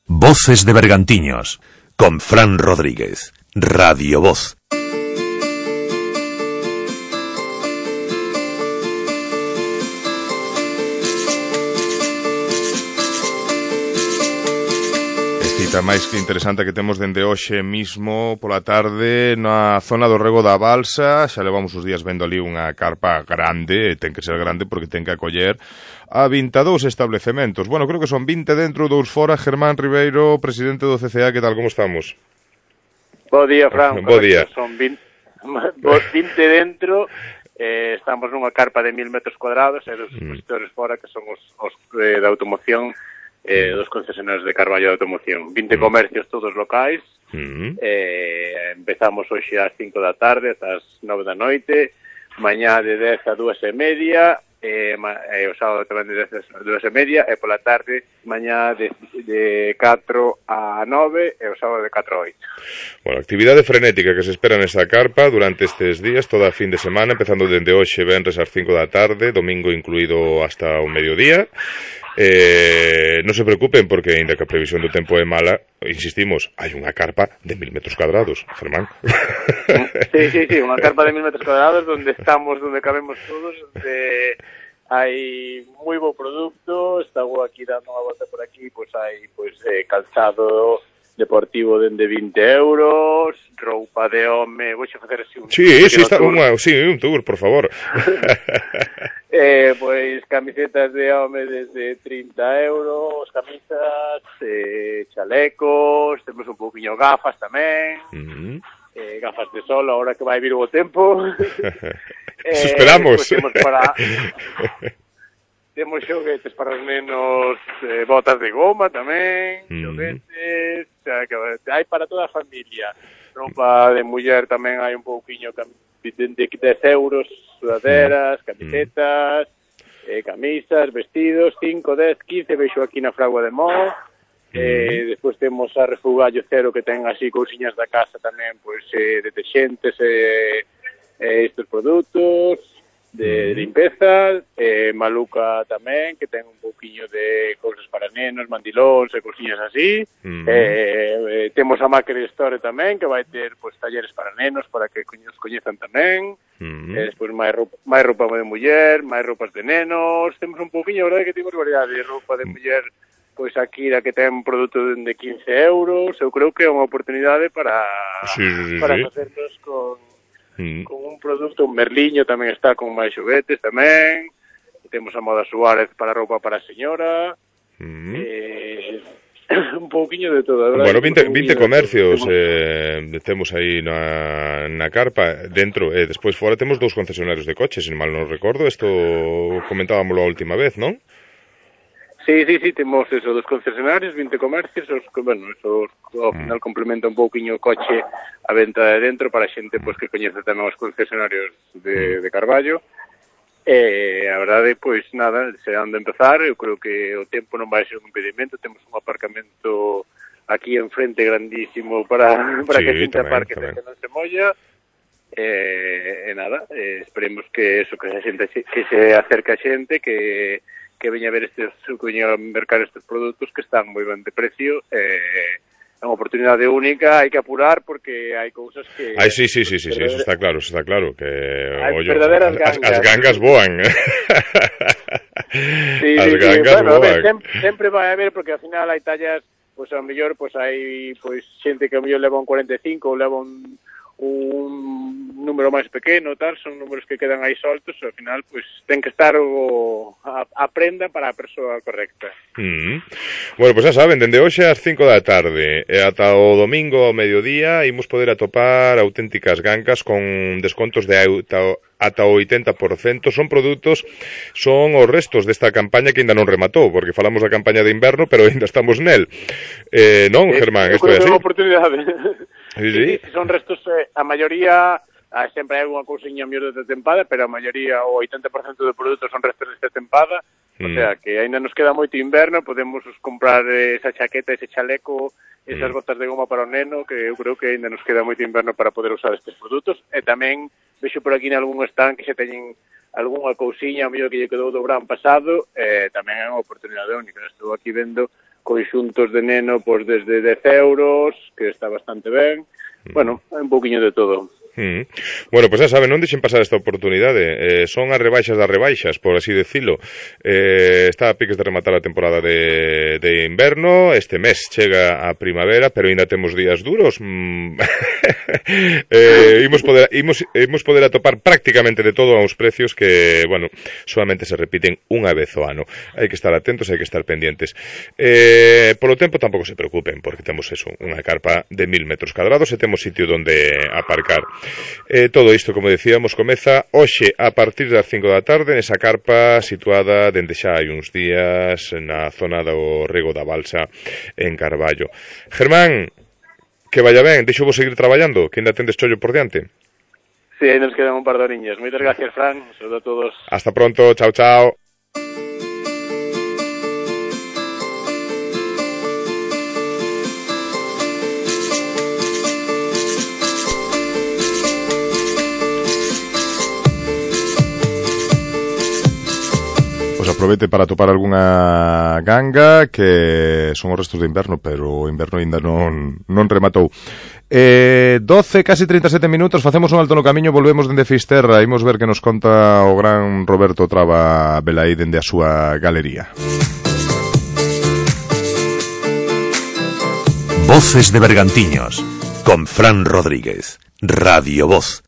Voces de Bergantiños, con Fran Rodríguez, Radio Voz. Cita máis que interesante que temos dende hoxe mismo pola tarde na zona do Rego da Balsa. Xa levamos os días vendo ali unha carpa grande, ten que ser grande porque ten que acoller a vinte e dous establecementos. Bueno, creo que son vinte dentro, dous fora. Germán Ribeiro, presidente do C C A, que tal, como estamos? Bo día, Fran. Bo día. Son vinte, vinte dentro, eh, estamos nunha carpa de mil metros cuadrados e dos expositores mm. fora que son os, os eh, de automoción, eh, dos concesionarios de Carballo de automoción. vinte mm. comercios todos locais. Mm. Eh, empezamos hoxe ás cinco da tarde ata as nove da noite, mañá de dez a dúas e media, e, e o sábado tamén de dez a dúas e media, e pola tarde mañá de, de catro a nove e o sábado de catro a oito. Bueno, actividade frenética que se espera nesta carpa durante estes días, toda a fin de semana, empezando dende hoxe, venres ás cinco da tarde, domingo incluído hasta o mediodía. Eh, non se preocupen porque, ainda que a previsión do tempo é mala, insistimos, hai unha carpa de mil metros cuadrados, Germán. Sí, sí, sí, unha carpa de mil metros cuadrados donde estamos, donde cabemos todos, donde hai moi bo producto. Estamos aquí dando unha volta por aquí, pois hai pois eh, calzado deportivo dende vinte euros, roupa de home, vou xe facer así un... Sí, sí, está, unha, sí, un tour, por favor. eh, pois camisetas de home desde trinta euros, camisas, eh, chalecos, temos un pouquinho gafas tamén, uh-huh. eh, gafas de sol, ahora que vai vir o tempo. eh, esperamos. Pois temos para... Temos xoguetes para os nenos, eh, botas de goma tamén, mm. xoguetes, o sea, que hai para toda a familia. Roupa de muller tamén hai un pouquiño de dez euros, sudaderas, camisetas, eh, camisas, vestidos, cinco, dez, quince, veixo aquí na Fragua de Mo. Eh, despois temos a Refugallo Cero que ten así cousiñas da casa tamén, pois eh, deterxentes e eh, eh, estes produtos de limpeza, eh, Maluca tamén, que ten un pouquiño de cousas para nenos, mandilóns e cousiñas así. Uh-huh. eh, eh, temos a Macri Store tamén, que vai ter pues, talleres para nenos, para que os coñezan tamén. Uh-huh. eh, despois máis roupa, máis roupa de muller, máis roupas de nenos. Temos un pouquiño, a verdade que temos variedade de roupa de muller, pois aquí a que ten produto de quince euros. Eu creo que é unha oportunidade para, sí, sí, para sí. facernos con... Mm. con un produto, un merliño tamén está con máis xoguetes tamén. Temos a Moda Suárez para roupa para a señora. Mm. eh, un pouquiño de todo, verdad? Bueno, vinte, vinte comercios temos... Eh, temos aí na, na carpa dentro, e eh, despois fora temos dous concesionarios de coches, se mal non recordo. Isto comentábamos a última vez, non? Sí, sí, sí, temos eso, dos concesionarios, vinte comercios, os, bueno, eso ao final complementa un pouquiño o coche a venta de dentro para a xente pois, que coñece tamén os concesionarios de, de Carballo. E a verdade, pois nada, se han de empezar, eu creo que o tempo non vai ser un impedimento, temos un aparcamento aquí enfrente grandísimo para, para sí, que a xente aparque que non se molla. E, e nada, e esperemos que eso, que a xente que se acerque a xente, que que veña a ver estes, que veña a mercar estes produtos que están moi ben de precio. Eh, é unha oportunidade única, hai que apurar porque hai cousas que... Ai, sí, sí, sí, sí, sí, eso está claro, eso está claro, que... Hai ollo, verdaderas gangas. As, as gangas voan. Sí, as sí, gangas sí, bueno, voan. Ver, sempre, sempre vai haber, porque ao final hai tallas pois a mellor pois hai pois xente que a mellor leva un cuarenta e cinco ou leva un un número máis pequeno, tal, son números que quedan aí soltos, e ao final, pois, ten que estar o, a, a prenda para a persoa correcta. Mm. Bueno, pois pues xa saben, dende hoxe ás cinco da tarde e ata o domingo ao mediodía imos poder atopar auténticas gangas con descontos de ata, ata o oitenta por cento. Son produtos, son os restos desta campaña que ainda non rematou, porque falamos da campaña de inverno, pero ainda estamos nel. Eh, non, eh, Germán, isto é así? É unha oportunidade. Sí, sí. Sí, son restos, eh, a maioría, ah, sempre hai unha cousiña mellor desta tempada, pero a maioría, o oitenta por cento de produtos son restos desta tempada, mm. o sea, que ainda nos queda moito inverno, podemos comprar eh, esa chaqueta, ese chaleco, esas mm. botas de goma para o neno, que eu creo que ainda nos queda moito inverno para poder usar estes produtos, e tamén vexo por aquí en algún stand que se teñen algunha cousiña, o mellor que lle quedou do verán pasado, eh, tamén é unha oportunidade única. Estou aquí vendo conxuntos de neno pois desde dez euros, que está bastante ben. Bueno, hai un pouquiño de todo. Mm. Bueno, pois pues xa saben, non deixen pasar esta oportunidade. Eh, son as rebaixas das rebaixas, por así decirlo. Eh, está a piques de rematar a temporada de, de inverno. Este mes chega a primavera, pero ainda temos días duros. Mm. eh, imos, poder, imos, imos poder atopar prácticamente de todo a uns precios que, bueno, solamente se repiten unha vez ao ano. Hai que estar atentos, hai que estar pendientes. Eh, polo tempo tampouco se preocupen, porque temos eso, unha carpa de mil metros cadrados e temos sitio donde aparcar. Eh, todo isto, como decíamos, comeza hoxe a partir das cinco da tarde nesa carpa situada dende xa hai uns días na zona do Rego da Balsa en Carballo. Germán, que vaya ben, deixo vos seguir traballando, que ainda tendes chollo por diante. Sí, aí nos quedan un par de horiñas. Moitas gracias, Fran, un saludo a todos. Hasta pronto, chao, chao. Aproveite para topar algunha ganga que son os restos de inverno, pero o inverno ainda non, non rematou. Eh, doce, casi trinta e sete minutos, facemos un alto no camiño, volvemos dende Fisterra, imos ver que nos conta o gran Roberto Traba Velaí dende a súa galería. Voces de Bergantiños, con Fran Rodríguez, Radio Voz.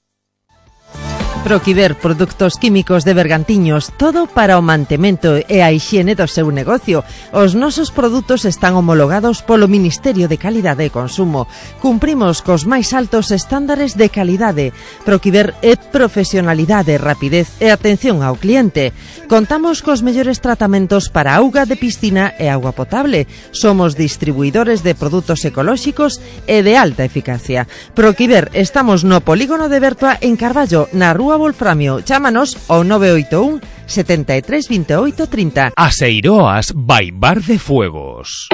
Proquiver Produtos Químicos de Bergantiños, todo para o mantemento e a hixiene do seu negocio. Os nosos produtos están homologados polo Ministerio de Calidade e Consumo. Cumprimos cos máis altos estándares de calidade. Proquiver é profesionalidade, rapidez e atención ao cliente. Contamos cos mellores tratamentos para auga de piscina e auga potable. Somos distribuidores de produtos ecolóxicos e de alta eficacia. Proquiver, estamos no polígono de Bertua en Carballo, na Rúa Wolframio. Chámanos ao nove oito un, setenta e tres, veintiocho, treinta. Aseiroas by Bar de Fuegos.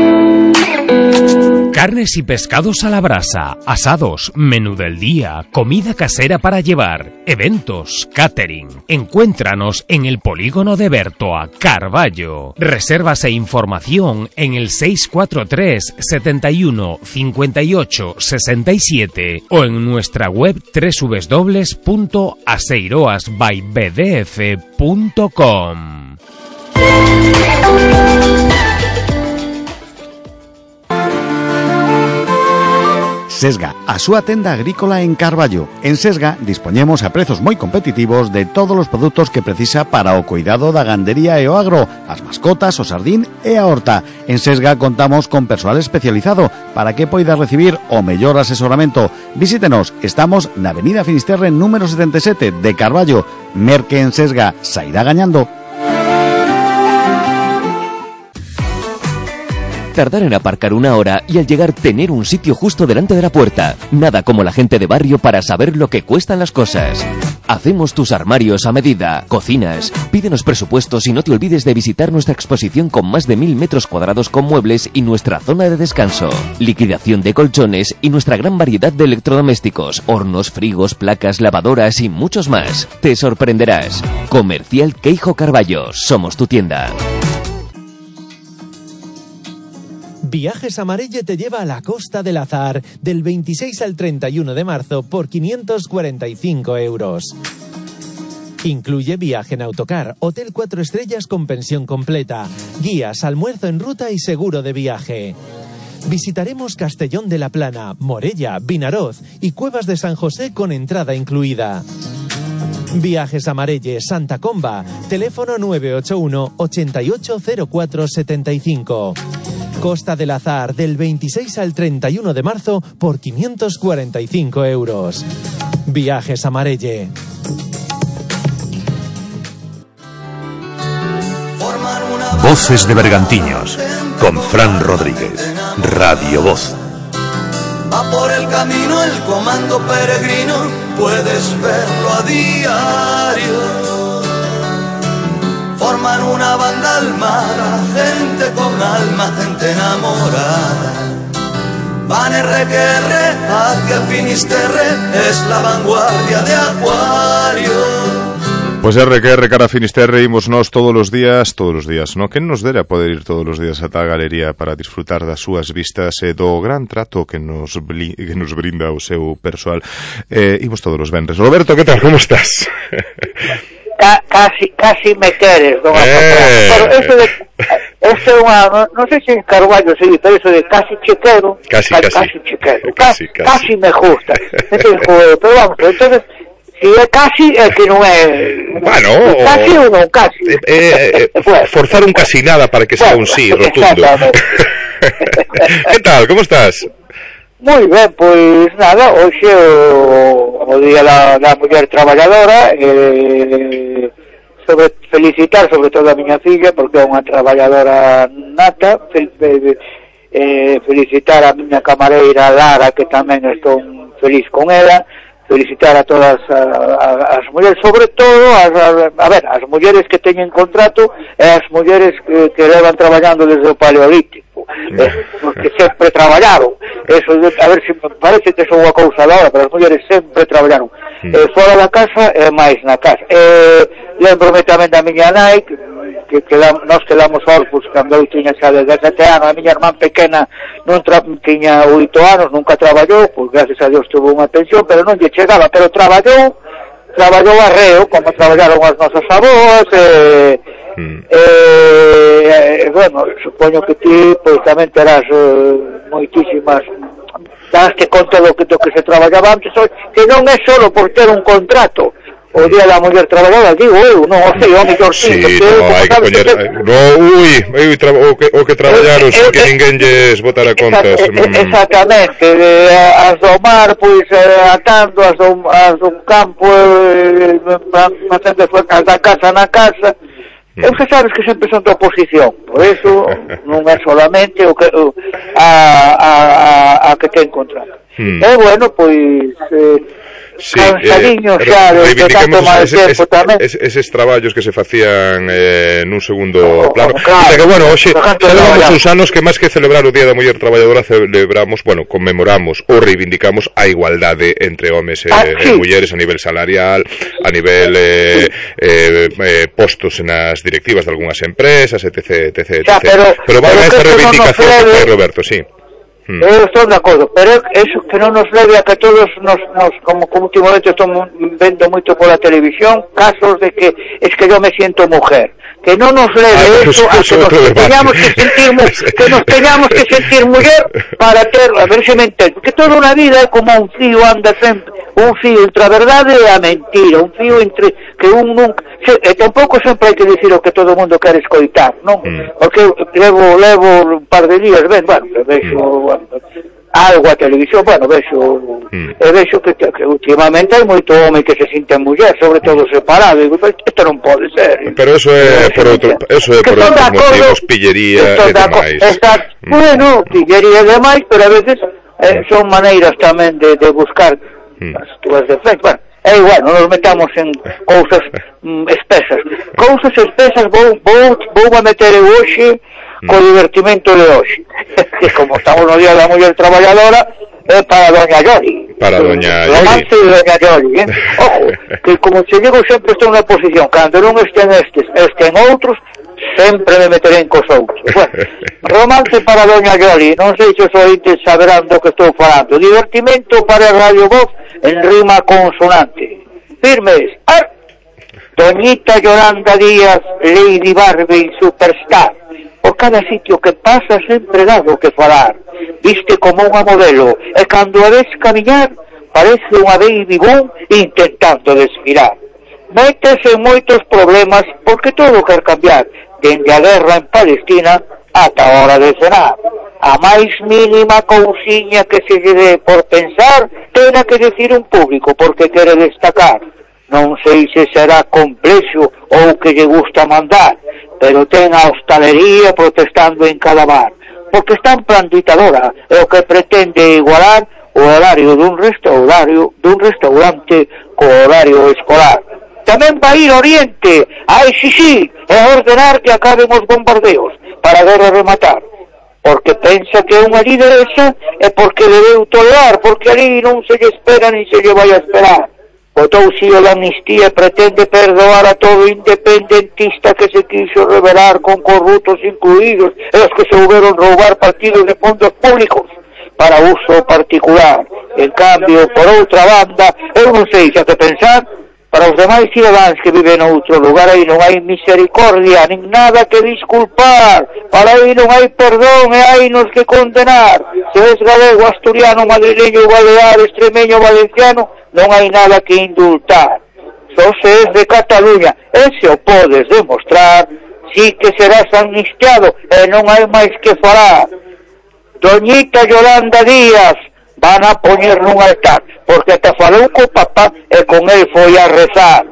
Carnes y pescados a la brasa, asados, menú del día, comida casera para llevar, eventos, catering. Encuéntranos en el polígono de Bertoa, Carballo. Reservas e información en el seis cuatro tres, setenta y uno, cincuenta y ocho, sesenta y siete o en nuestra web doble u doble u doble u punto aseiroas by b d f punto com. Sesga, a súa tenda agrícola en Carballo. En Sesga dispoñemos a prezos moi competitivos de todos os produtos que precisa para o cuidado da gandería e o agro, as mascotas, o sardín e a horta. En Sesga contamos con persoal especializado para que poida recibir o mellor asesoramento. Visítenos, estamos na Avenida Finisterre número setenta e sete de Carballo. Merque en Sesga, sairá gañando. Tardar en aparcar una hora y al llegar tener un sitio justo delante de la puerta. Nada como la gente de barrio para saber lo que cuestan las cosas. Hacemos tus armarios a medida, cocinas. Pídenos presupuestos y no te olvides de visitar nuestra exposición con más de mil metros cuadrados con muebles y nuestra zona de descanso. Liquidación de colchones y nuestra gran variedad de electrodomésticos, hornos, frigos, placas, lavadoras y muchos más. Te sorprenderás. Comercial Queijo Carballo. Somos tu tienda. Viajes Amarelle te lleva a la Costa del Azar del veintiséis al treinta y uno de marzo por quinientos cuarenta y cinco euros. Incluye viaje en autocar, hotel cuatro estrellas con pensión completa, guías, almuerzo en ruta y seguro de viaje. Visitaremos Castellón de la Plana, Morella, Vinaroz y Cuevas de San José con entrada incluida. Viajes a Marelle, Santa Comba, teléfono nueve ocho uno, ochenta y ocho cero cuatro setenta y cinco. Costa del Azar, del veintiséis al treinta y uno de marzo por quinientos cuarenta y cinco euros. Viajes a Marelle. Voces de Bergantiños, con Fran Rodríguez, Radio Voz. Va por el camino el comando peregrino, puedes verlo a diario. Forman una banda almada, gente con alma, gente enamorada. Van R que R hacia el Finisterre, es la vanguardia de Acuario. Pois R que R cara a Finisterre imos nós todos os días, todos os días, no? Quen nos dera poder ir todos os días ata a galería para disfrutar das súas vistas e do gran trato que nos bli, que nos brinda o seu persoal. Eh, imos todos os venres. Roberto, que tal? Como estás? Ca, casi, casi me queres, don eh. Pero eso de, eso é unha, non, non sei se en Carballo se dice, pero eso de casi chequero, casi, casi, casi, casi chequero, casi, casi, casi me gusta. Entonces, pero vamos, entonces si é casi é que non é bueno, casi ou non casi eh, eh, pues, forzar un casi nada para que sea bueno, un sí rotundo. Que tal, como estás? Moi ben, pois nada, hoxe o, o día da, da muller traballadora, eh, sobre felicitar sobre todo a miña filla porque é unha traballadora nata, fel, eh, felicitar a miña camareira Lara, que tamén estou feliz con ela, felicitar a todas a, a, as mulleres, sobre todo as, a, a ver, as mulleres que teñen contrato e as mulleres que, que levan traballando desde o Paleolítico, eh, que sempre traballaron. Eso, a ver, se me parece que son unha cousa da hora, pero as mulleres sempre traballaron eh, fora da casa e máis na casa. Eh, lembrome tamén da miña nai, que, que quedamos, nós quedamos orfos cando eu tiña xa dezasete anos. A miña irmán pequena non tra, tiña oito anos, nunca traballou, pois gracias a Dios tuvo unha pensión, pero non lle chegaba, pero traballou, traballou arreo, como traballaron as nosas avós, eh, mm. eh, eh, bueno, supoño que ti, pois tamén terás eh, moitísimas, daste conta do que, do que se traballaba antes, que non é solo por ter un contrato. O día da muller traballadora, digo eu, non, o sei, o mellor sí, sí, no, hai que poñer, que... no, ui, ui tra... o, que, o que traballaron eh, sin eh, que ninguén lles botara contas. Exact, mm. Exactamente, eh, as do mar, pois, eh, atando, as do, as do campo, eh, facendo as da casa na casa, mm. eu que sabes que sempre son da oposición, por eso non é solamente o que, o, a, a, a, a que ten contrato. Mm. E, bueno, pois... Eh, sí, eh, xa de, de tanto mal tempo tamén. Es, eses traballos que se facían eh, nun segundo oh, plano. Claro, o sea que, bueno, hoxe celebramos uns anos que máis que celebrar o Día da Muller Traballadora celebramos, bueno, conmemoramos ou reivindicamos a igualdade entre homes e, ah, sí. e mulleres a nivel salarial, a nivel eh, eh, eh, postos nas directivas de algunhas empresas, etc, etc, etcétera. Pero, pero van a esta reivindicación no que fai Roberto, sí. Hmm. Eu estou de acordo, pero eso que non nos leve a que todos nos, nos como, como últimamente estamos vendo moito pola televisión, casos de que es que yo me siento mujer, que non nos leve ah, eso a que nos teñamos que sentir que nos teñamos que sentir muller para ter, a ver se me entendo, que toda unha vida é como un fío, anda sempre un fío entre a verdade e a mentira, un fío entre que un nunca, se, e tampouco sempre hai que dicir o que todo o mundo quere escoitar, non? Mm. Porque levo levo un par de días, ben, bueno, vexo bueno, algo a televisión, bueno, vexo mm. e vexo que, que últimamente hai moito home que se sinten muller, sobre todo separado, e isto non pode ser. Pero eso é por outro, eso é por outros motivos, pillería e demais. Exacto. Mm. Bueno, pillería e demais, pero a veces eh, son maneiras tamén de, de buscar mm. as túas defensas. Bueno, é igual, non nos metamos en cousas mm, espesas. Cousas espesas vou, vou, vou a meter eu hoxe mm. co divertimento de hoxe. Que como estamos no Día da Muller Traballadora, é para Doña Yoli. Para Doña Yoli. Romance de Doña Yoli, eh? Ojo, que como se digo sempre estou na posición, cando non estén estes, estén outros, sempre me meterei cos outros. Bueno, romance para Doña Yoli, non sei se os ointes saberán do que estou falando. Divertimento para Radio Voz en rima consonante. Firmes. Ar. Doñita Yolanda Díaz, Lady Barbie Superstar. Porque cada sitio que pasa sempre dá do que falar. Viste como unha modelo, e cando a ves camiñar, parece unha baby boom intentando desfilar. Métese en moitos problemas porque todo quer cambiar, dende a guerra en Palestina ata a hora de cenar. A máis mínima cousiña que se lle dé por pensar, tena que decir un público porque quere destacar. Non sei se será complexo ou que lle gusta mandar, pero ten a hostalería protestando en cada bar, porque está en plan ditadora, e o que pretende igualar o horario dun restaurario, dun restaurante co horario escolar. Tamén vai ir Oriente a exixir e a ordenar que acaben os bombardeos para ver a rematar, porque pensa que é unha lideresa e porque debeu tolerar, porque ali non se lle espera ni se lle vai a esperar. Botou si o da amnistía e pretende perdoar a todo independentista que se quiso rebelar con corruptos incluídos e os que se houberon roubar partidos de fondos públicos para uso particular. En cambio, por outra banda, eu non sei xa que pensar, para os demais cidadáns que viven noutro lugar aí non hai misericordia, nin nada que disculpar, para aí non hai perdón e hai nos que condenar. Se es galego, asturiano, madrileño, balear, extremeño, valenciano, non hai nada que indultar. Só se es de Cataluña, e se o podes demostrar, si que serás amnistiado e non hai máis que falar. Doñita Yolanda Díaz van a poñer nun altar, porque ata falou co papá e con el foi a rezar.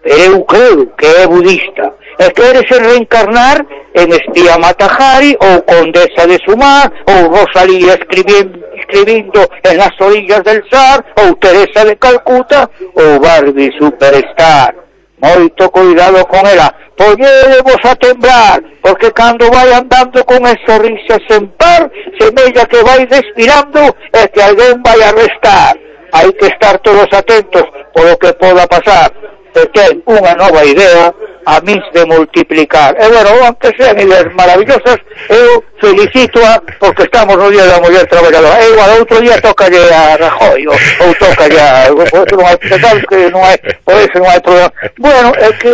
Eu creo que é budista e quere se reencarnar en espía Matajari ou condesa de Sumar ou Rosalía escribindo, escribindo en las orillas del Sar ou Teresa de Calcuta ou Barbie Superstar. Moito cuidado con ela, poñedevos a temblar, porque cando vai andando con esa risa sen par, semella que vai despirando e que alguén vai a arrestar. Hai que estar todos atentos polo que poda pasar, e ten unha nova idea a mis de multiplicar. E bueno, aunque sean ideas maravillosas, eu felicito-a porque estamos no Día da Muller Traballadora. E igual, outro día tócalle a Rajoy, ou, ou tócalle a... Por eso non hai, que non hai, por eso non hai problema. Bueno, é que...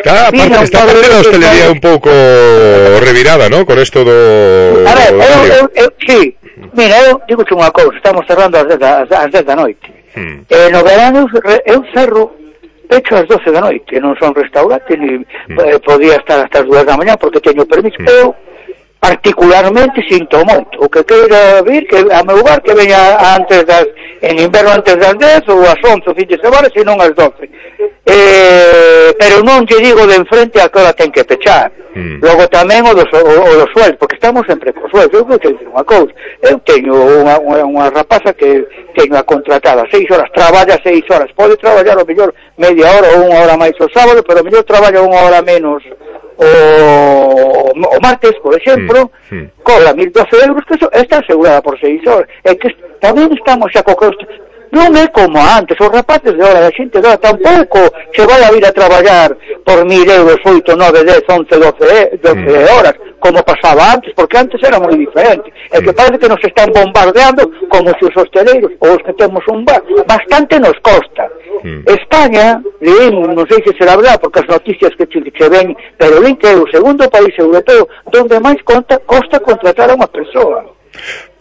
Claro, aparte, está parte da hostelería un pouco revirada, ¿no? Con esto do... A ver, eu, eu, eu, sí, mira, eu digo unha cousa, estamos cerrando as dez da noite. Hmm. E no verano eu cerro pecho ás doce da noite, non son restaurante, ni hmm. eh, podía estar hasta as dúas da mañá porque teño permiso. Hmm. Eu particularmente sinto moito, o que queira vir que a meu bar que veña antes das, en inverno antes das dez ou as once o fin de semana, senón as doce. Eh, pero non lle digo de enfrente a que hora ten que pechar. Mm. Logo tamén o dos, o, o dos sueldos, porque estamos sempre cos sueldos. Eu vou te dicir unha cousa, eu teño unha, unha, unha rapaza que teño a contratada seis horas, traballa seis horas, pode traballar o mellor media hora ou unha hora máis o sábado, pero o mellor traballa unha hora menos o, o martes, por exemplo, mm. Mm. Cobra mil doce euros, que eso está asegurada por seis horas. É que tamén estamos xa co costo. Non é como antes, os rapaces de hora, a xente de hora tampouco se vai a vir a traballar por mil euros, oito, nove, dez, once, doce, doce mm. horas, como pasaba antes, porque antes era moi diferente. É que parece que nos están bombardeando como se os hosteleiros, ou os que temos un bar, bastante nos costa. Mm. España, leímos, non sei se será verdad, porque as noticias que che, che ven, pero ven que é o segundo país europeo donde máis conta, costa contratar a unha persoa.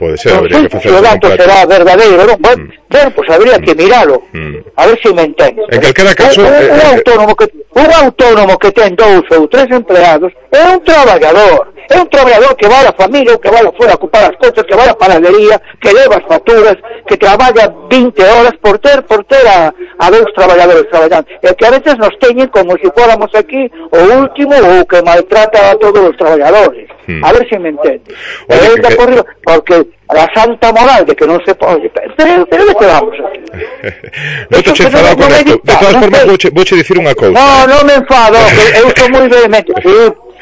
Pode ser, habría que facer un dato será verdadeiro, non? Bueno, mm. bueno, pues habría que miralo, mm. a ver se me entendes. En calquera caso, un, un, eh, un autónomo que un autónomo que ten dous ou tres empleados é un traballador, é un traballador que vai a familia, que vai fora a ocupar as cousas, que vai a panadería, que leva as facturas, que traballa vinte horas por ter por ter a, a dous traballadores traballando, e que a veces nos teñen como se si fóramos aquí o último ou que maltrata a todos os traballadores. Hmm. A ver se me entendes. Oye, que... corrido, porque a santa moral de que non se pode, pero, pero de que vamos aquí. Non te che enfadado con esto. De todas formas, vouche, vouche dicir unha cousa. No, non me enfado, que eu sou moi vehemente, sí,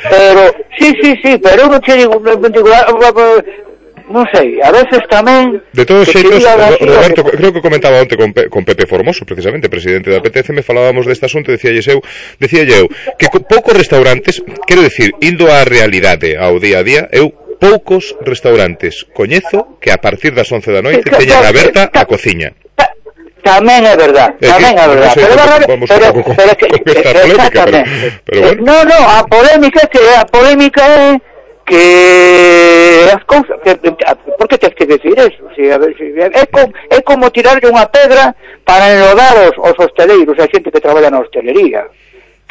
pero, sí, sí, sí, pero eu non che digo, non sei, a veces tamén... De todos xeitos, Roberto, que... creo que comentaba onte con, Pe, con Pepe Formoso, precisamente, presidente da P T C, me falábamos deste asunto, decíalles eu, decíalle eu, que poucos restaurantes, quero dicir, indo á realidade, ao día a día, eu poucos restaurantes coñezo que a partir das once da noite teñan aberta a cociña. Tamén é verdad, tamén é verdad. Pero vamos un pouco con esta polémica, pero bueno. No, no, a polémica que a polémica é que as cousas, que, por que tens que decir eso? Si, a ver, si, é, como, é como tirarlle unha pedra para enlodar os, os hosteleiros, a xente que traballa na hostelería.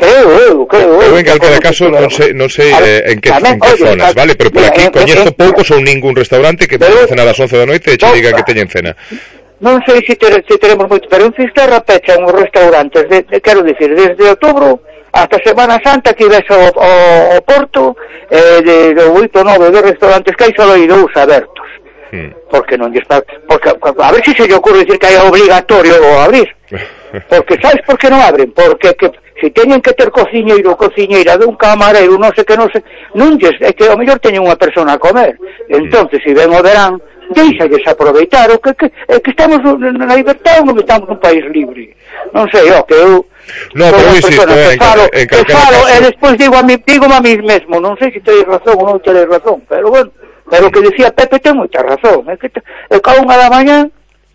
Creo eu, creo eu. Eu en calquera caso non sei, non sei eh, en que, tamén, en que oye, zonas, vale? Pero por aquí coñezo poucos ou ningún restaurante que pode cenar ás once da noite e che digan que teñen cena. Non sei se, ter, se teremos moito, pero en Fisterra pechan os restaurantes, de, de, quero dicir, desde outubro hasta Semana Santa que ves o, o, o Porto, eh, de, de oito ou nove de restaurantes que hai só hai dous abertos. Hmm. Porque non lle está, porque a ver se se lle ocurre dicir que é obligatorio o abrir. Porque sabes por que non abren? Porque que se teñen que ter cociñeiro ou cociñeira de un camareiro, non sei que non sei, non lles, é que ao mellor teñen unha persona a comer. Entonces, se ven o verán, deixalles aproveitar, o que, que, é que estamos na libertad ou non estamos nun país libre. Non sei, ó, que eu no, pero insisto, eh, que falo, en, en que falo, e despois digo a mí, digo a mí mesmo, non sei se tedes razón ou non tedes razón, pero bueno, pero o que decía Pepe ten moita razón, é que é cada unha da mañá.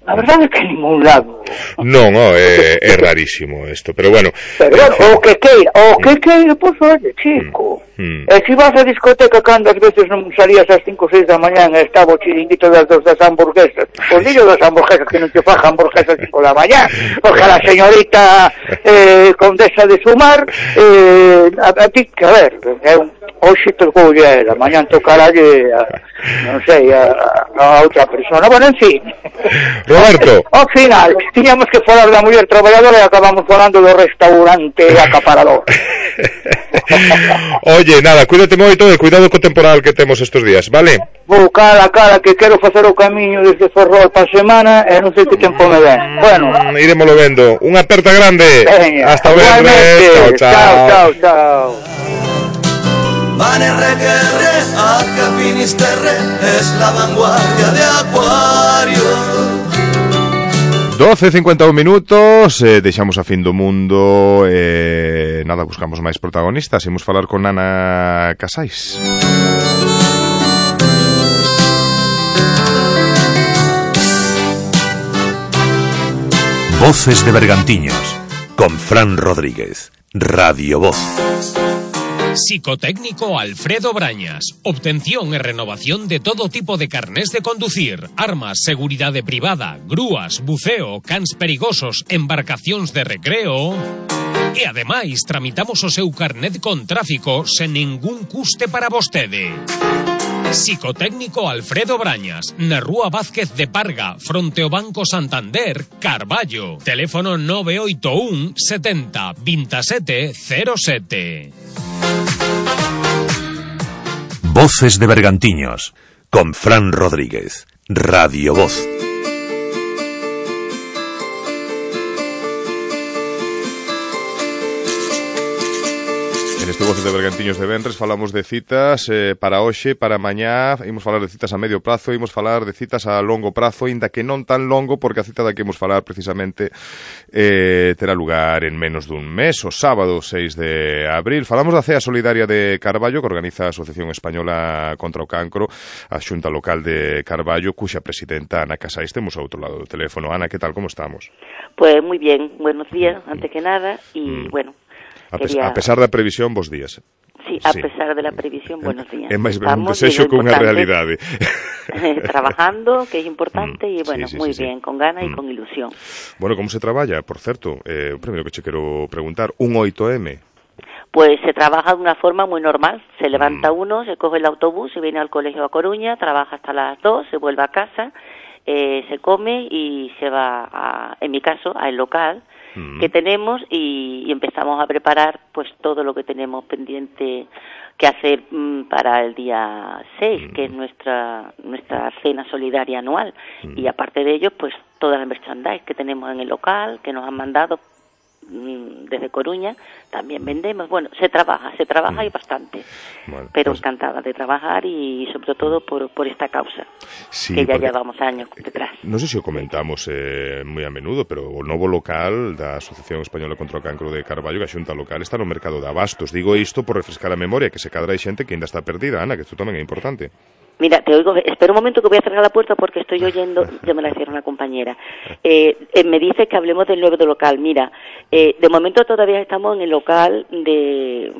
A verdade é que en ningún lado. Non, oh, é, é rarísimo isto, pero bueno. Pero bueno, o que queira, o que queira, pois oye, chico. Mm. E se vas a discoteca cando as veces non salías ás cinco ou seis da mañá e estaba o chiringuito das dos das hamburguesas, pois dillo das hamburguesas que non te faja hamburguesas cinco da mañá, porque a la señorita eh, condesa de Sumar, eh, a, a ti, que a ver, é un hoxe tocoulle a ela, mañán tocaralle a, non sei, a, a outra persona, bueno, en fin. Roberto. Ao final, tiñamos que falar da muller traballadora e acabamos falando do restaurante acaparador. Oye, nada, cuídate moito e cuidado co temporal que temos estes días, vale? Vou cara a cara que quero facer o camiño desde Ferrol para a semana e non sei que tempo me ven. Bueno, mm, iremoslo vendo. Unha aperta grande. Veña, hasta o venres. Chao, chao. Chao, chao, chao. Vane requerre, a que Finisterre es la vanguardia de Acuario. doce e cincuenta e un minutos, eh, deixamos a fin do mundo, eh, nada, buscamos máis protagonistas, imos falar con Ana Casais. Voces de Bergantiños, con Fran Rodríguez, Radio Voz. Psicotécnico Alfredo Brañas. Obtención e renovación de todo tipo de carnés de conducir, armas, seguridade privada, grúas, buceo, cans perigosos, embarcacións de recreo. E ademais tramitamos o seu carnet con tráfico sen ningún custe para vostede. Psicotécnico Alfredo Brañas, na Rúa Vázquez de Parga, fronte ao Banco Santander, Carballo. Teléfono nove oito un setenta veintisiete cero sete. Voces de Bergantiños, con Fran Rodríguez, Radio Voz. En este Voces de Bergantiños de Venres falamos de citas eh, para hoxe, para mañá, imos falar de citas a medio prazo, imos falar de citas a longo prazo, inda que non tan longo, porque a cita da que imos falar precisamente eh, terá lugar en menos dun mes, o sábado seis de abril. Falamos da Cea Solidaria de Carballo, que organiza a Asociación Española contra o Cancro, a Xunta Local de Carballo, cuxa presidenta Ana Casais temos ao outro lado do teléfono. Ana, que tal, como estamos? Pues muy bien, buenos días, antes que nada, y mm. bueno... A, pes a pesar da previsión, bos días. Sí, a sí. pesar de la previsión, buenos días. É máis ben un desexo que unha realidade. Trabajando, que é importante, mm, e bueno, sí, sí, moi sí, bien, sí. con gana e mm. con ilusión. Bueno, como se traballa, por certo, eh, o primeiro que che quero preguntar, un oito eme? Pues se trabaja de una forma muy normal. Se levanta mm. uno, se coge el autobús, se viene al colegio a Coruña, trabaja hasta las dos, se vuelve a casa, eh, se come y se va, a, en mi caso, al local que tenemos y, y empezamos a preparar pues todo lo que tenemos pendiente que hacer mm, para el día seis, mm. que es nuestra nuestra cena solidaria anual. Mm. Y aparte de ello, pues toda la merchandise que tenemos en el local, que nos han mandado mm, desde Coruña, también vendemos. Bueno, se trabaja, se trabaja mm. y bastante. Bueno, pero pues... encantada de trabajar y sobre todo por, por esta causa, sí, que ya porque... llevamos años detrás. Non sei se o comentamos eh, moi a menudo, pero o novo local da Asociación Española contra o Cancro de Carballo, que a Xunta Local, está no mercado de abastos. Digo isto por refrescar a memoria, que se cadra hai xente que ainda está perdida, Ana, que isto tamén é importante. Mira, te oigo, espera un momento que voy a cerrar la puerta porque estoy oyendo, ya me la hicieron una compañera. Eh, eh, me dice que hablemos del nuevo local. Mira, eh, de momento todavía estamos en el local de,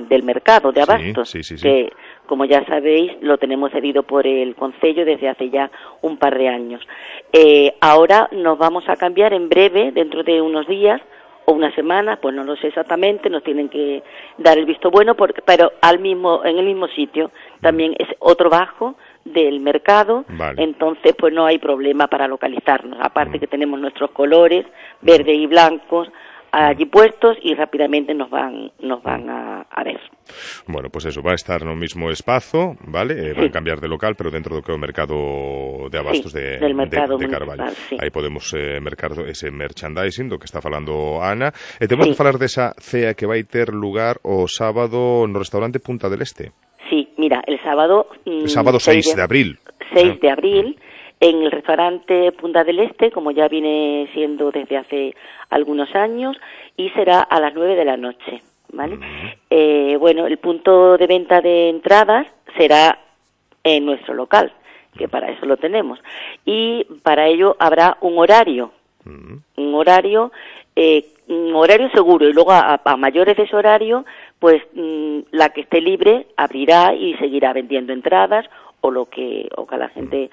del mercado, de abastos, sí, sí, sí, sí. que como ya sabéis, lo tenemos cedido por el Concello desde hace ya un par de años. Eh, ahora nos vamos a cambiar en breve, dentro de unos días o una semana, pues no lo sé exactamente, nos tienen que dar el visto bueno, porque, pero al mismo, en el mismo sitio. También es otro bajo del mercado, vale. Entonces pues no hay problema para localizarnos, aparte mm. que tenemos nuestros colores, verde y blancos, allí puestos y rápidamente nos van nos van a, a ver. Bueno, pues eso, va a estar no mismo espazo, vale? Eh, sí. Van a cambiar de local, pero dentro do que é o mercado de abastos sí, de, del mercado de, de Carballo. Sí. Aí podemos eh, mercar ese merchandising do que está falando Ana. E temos sí. que falar desa cea que vai ter lugar o sábado no restaurante Punta del Este. Sí, mira, el sábado... El sábado seis de abril. seis de abril, en el restaurante Punta del Este, como ya viene siendo desde hace algunos años, y será a las nueve de la noche, ¿vale? Uh-huh. Eh, bueno, el punto de venta de entradas será en nuestro local, que para eso lo tenemos, y para ello habrá un horario, uh-huh. un horario, eh, un horario seguro, y luego a, a mayores de ese horario, pues mmm, la que esté libre abrirá y seguirá vendiendo entradas o lo que, o que la gente...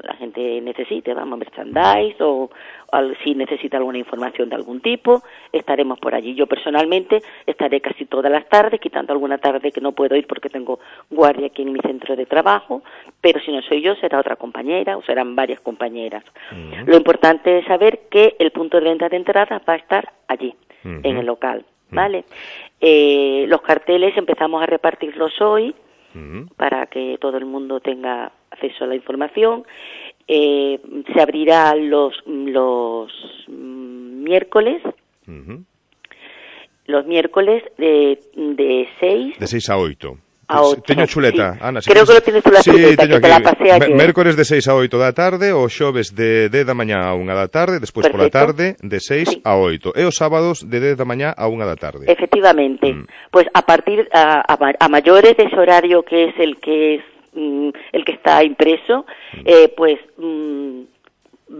la gente necesite, vamos, merchandise o, o si necesita alguna información de algún tipo, estaremos por allí. Yo personalmente estaré casi todas las tardes, quitando alguna tarde que no puedo ir porque tengo guardia aquí en mi centro de trabajo, pero si no soy yo, será otra compañera o serán varias compañeras. Uh-huh. Lo importante es saber que el punto de venta de entradas va a estar allí, uh-huh. en el local, ¿vale? Uh-huh. Eh, los carteles empezamos a repartirlos hoy, uh-huh. para que todo el mundo tenga acceso a la información. Eh, se abrirá los los miércoles, uh-huh. los miércoles de de seis de seis a oito. A ocho, teño chuleta, sí. Ana. Si Creo que lo tienes tú la sí, chuleta, que aquí. te la pasé ayer. Mércores de seis a oito da tarde, o xoves de dez da mañá a unha da tarde, despois pola tarde de seis sí. a oito, e os sábados de dez da mañá a unha da tarde. Efectivamente. Mm. Pues a partir a, a, a mayores de ese horario que es el que es mm, el que está impreso, mm. eh, pues mm,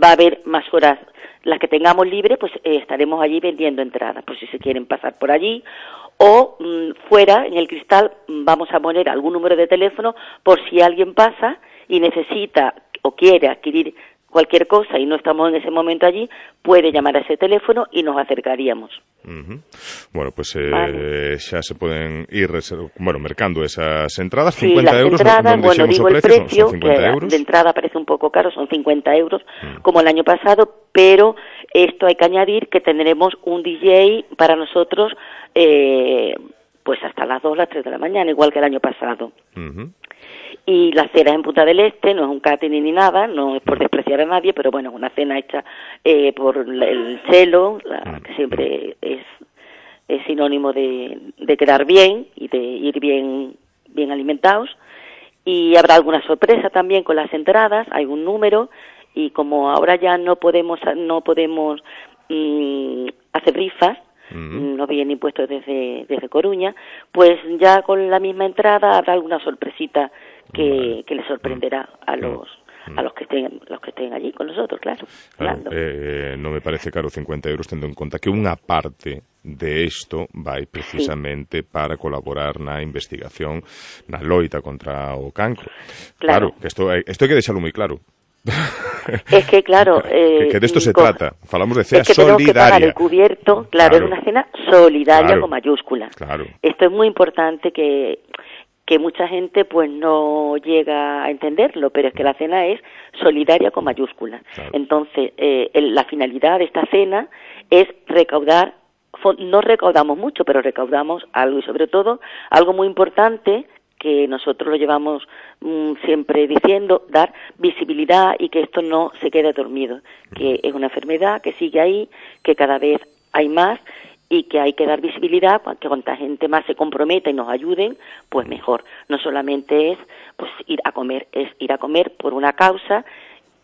va a haber más horas. Las que tengamos libre, pues eh, estaremos allí vendiendo entradas, por si se quieren pasar por allí. O mmm, fuera, en el cristal, vamos a poner algún número de teléfono por si alguien pasa y necesita o quiere adquirir cualquier cosa y no estamos en ese momento allí, puede llamar a ese teléfono y nos acercaríamos. Uh-huh. Bueno, pues eh, vale. xa se poden ir bueno, mercando esas entradas, sí, cincuenta las euros. Entradas, no, bueno, digo el precio, precio, son cincuenta que euros. De entrada parece un poco caro, son cincuenta euros, uh-huh. como el año pasado, pero esto hay que añadir que tendremos un D J para nosotros eh, pues hasta las dos, las tres de la mañana, igual que el año pasado. Uh-huh. Y la cena en Punta del Este, no es un catering ni nada, no es por despreciar a nadie, pero bueno, es una cena hecha eh, por el chelo, la, que siempre es, es sinónimo de, de quedar bien y de ir bien, bien alimentados. Y habrá alguna sorpresa también con las entradas, hay un número, y como ahora ya no podemos, no podemos mmm, hacer rifas, Uh-huh. no vienen impuestos desde, desde Coruña, pues ya con la misma entrada habrá alguna sorpresita que, uh-huh. que les sorprenderá a los uh-huh. a los que estén los que estén allí con nosotros, claro. claro eh, non me parece caro cincuenta euros, tendo en conta que unha parte de isto vai precisamente sí. para colaborar na investigación na loita contra o cancro. Claro, claro que isto, isto hai que deixalo moi claro. Es que claro eh, que, que de esto se con, trata, falamos de cena es que solidaria, que pagar el cubierto, claro, claro, es una cena solidaria claro, con mayúsculas, claro. Esto es muy importante que que mucha gente pues no llega a entenderlo, pero es que la cena es solidaria con mayúsculas, claro. Entonces eh, el, la finalidad de esta cena es recaudar, no recaudamos mucho, pero recaudamos algo, y sobre todo algo muy importante que nosotros lo llevamos mmm, siempre diciendo, dar visibilidad y que esto no se quede dormido, que es una enfermedad que sigue ahí, que cada vez hay más y que hay que dar visibilidad, que cuanta gente más se comprometa y nos ayuden, pues mejor. No solamente es pues ir a comer, es ir a comer por una causa,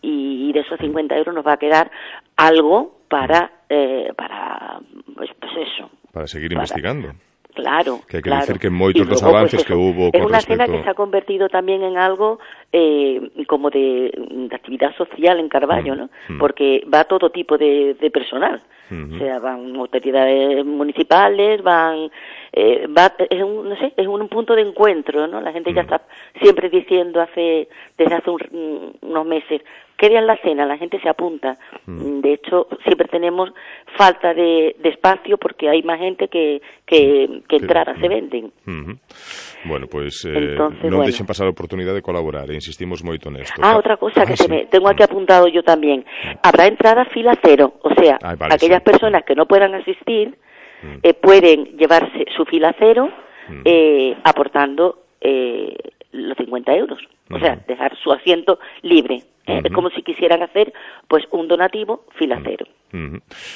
y de esos cincuenta euros nos va a quedar algo para, eh, para pues, pues eso. Para seguir para, investigando. Claro, que hai que claro. decir que moitos luego, dos avances pues, que hubo es con una respecto... cena que se ha convertido también en algo eh, como de, de actividad social en Carballo, mm, ¿no? Mm. Porque va todo tipo de, de personal, mm-hmm. O sea, van autoridades municipales, van eh, va, es un, no sé, es un punto de encuentro, ¿no? La gente ya está siempre diciendo hace, desde hace un, unos meses, querían la cena, la gente se apunta. Mm. De hecho, siempre tenemos falta de, de espacio porque hay más gente que, que, que entrara, mm. se venden. Mm-hmm. Bueno, pues eh, Entonces, non bueno. deixen pasar a oportunidade de colaborar, e insistimos moito nesto. Ah, otra cosa que ah, se sí. me tengo aquí apuntado yo también. Habrá entrada fila cero, o sea, Ay, vale, aquellas sí. personas que no puedan asistir Mm. eh, pueden llevarse su fila cero Mm. eh, aportando eh, los cincuenta euros. O sea, dejar su asiento libre. ¿eh? Uh-huh. Es como si quisieran hacer pues un donativo fila cero. Uh-huh.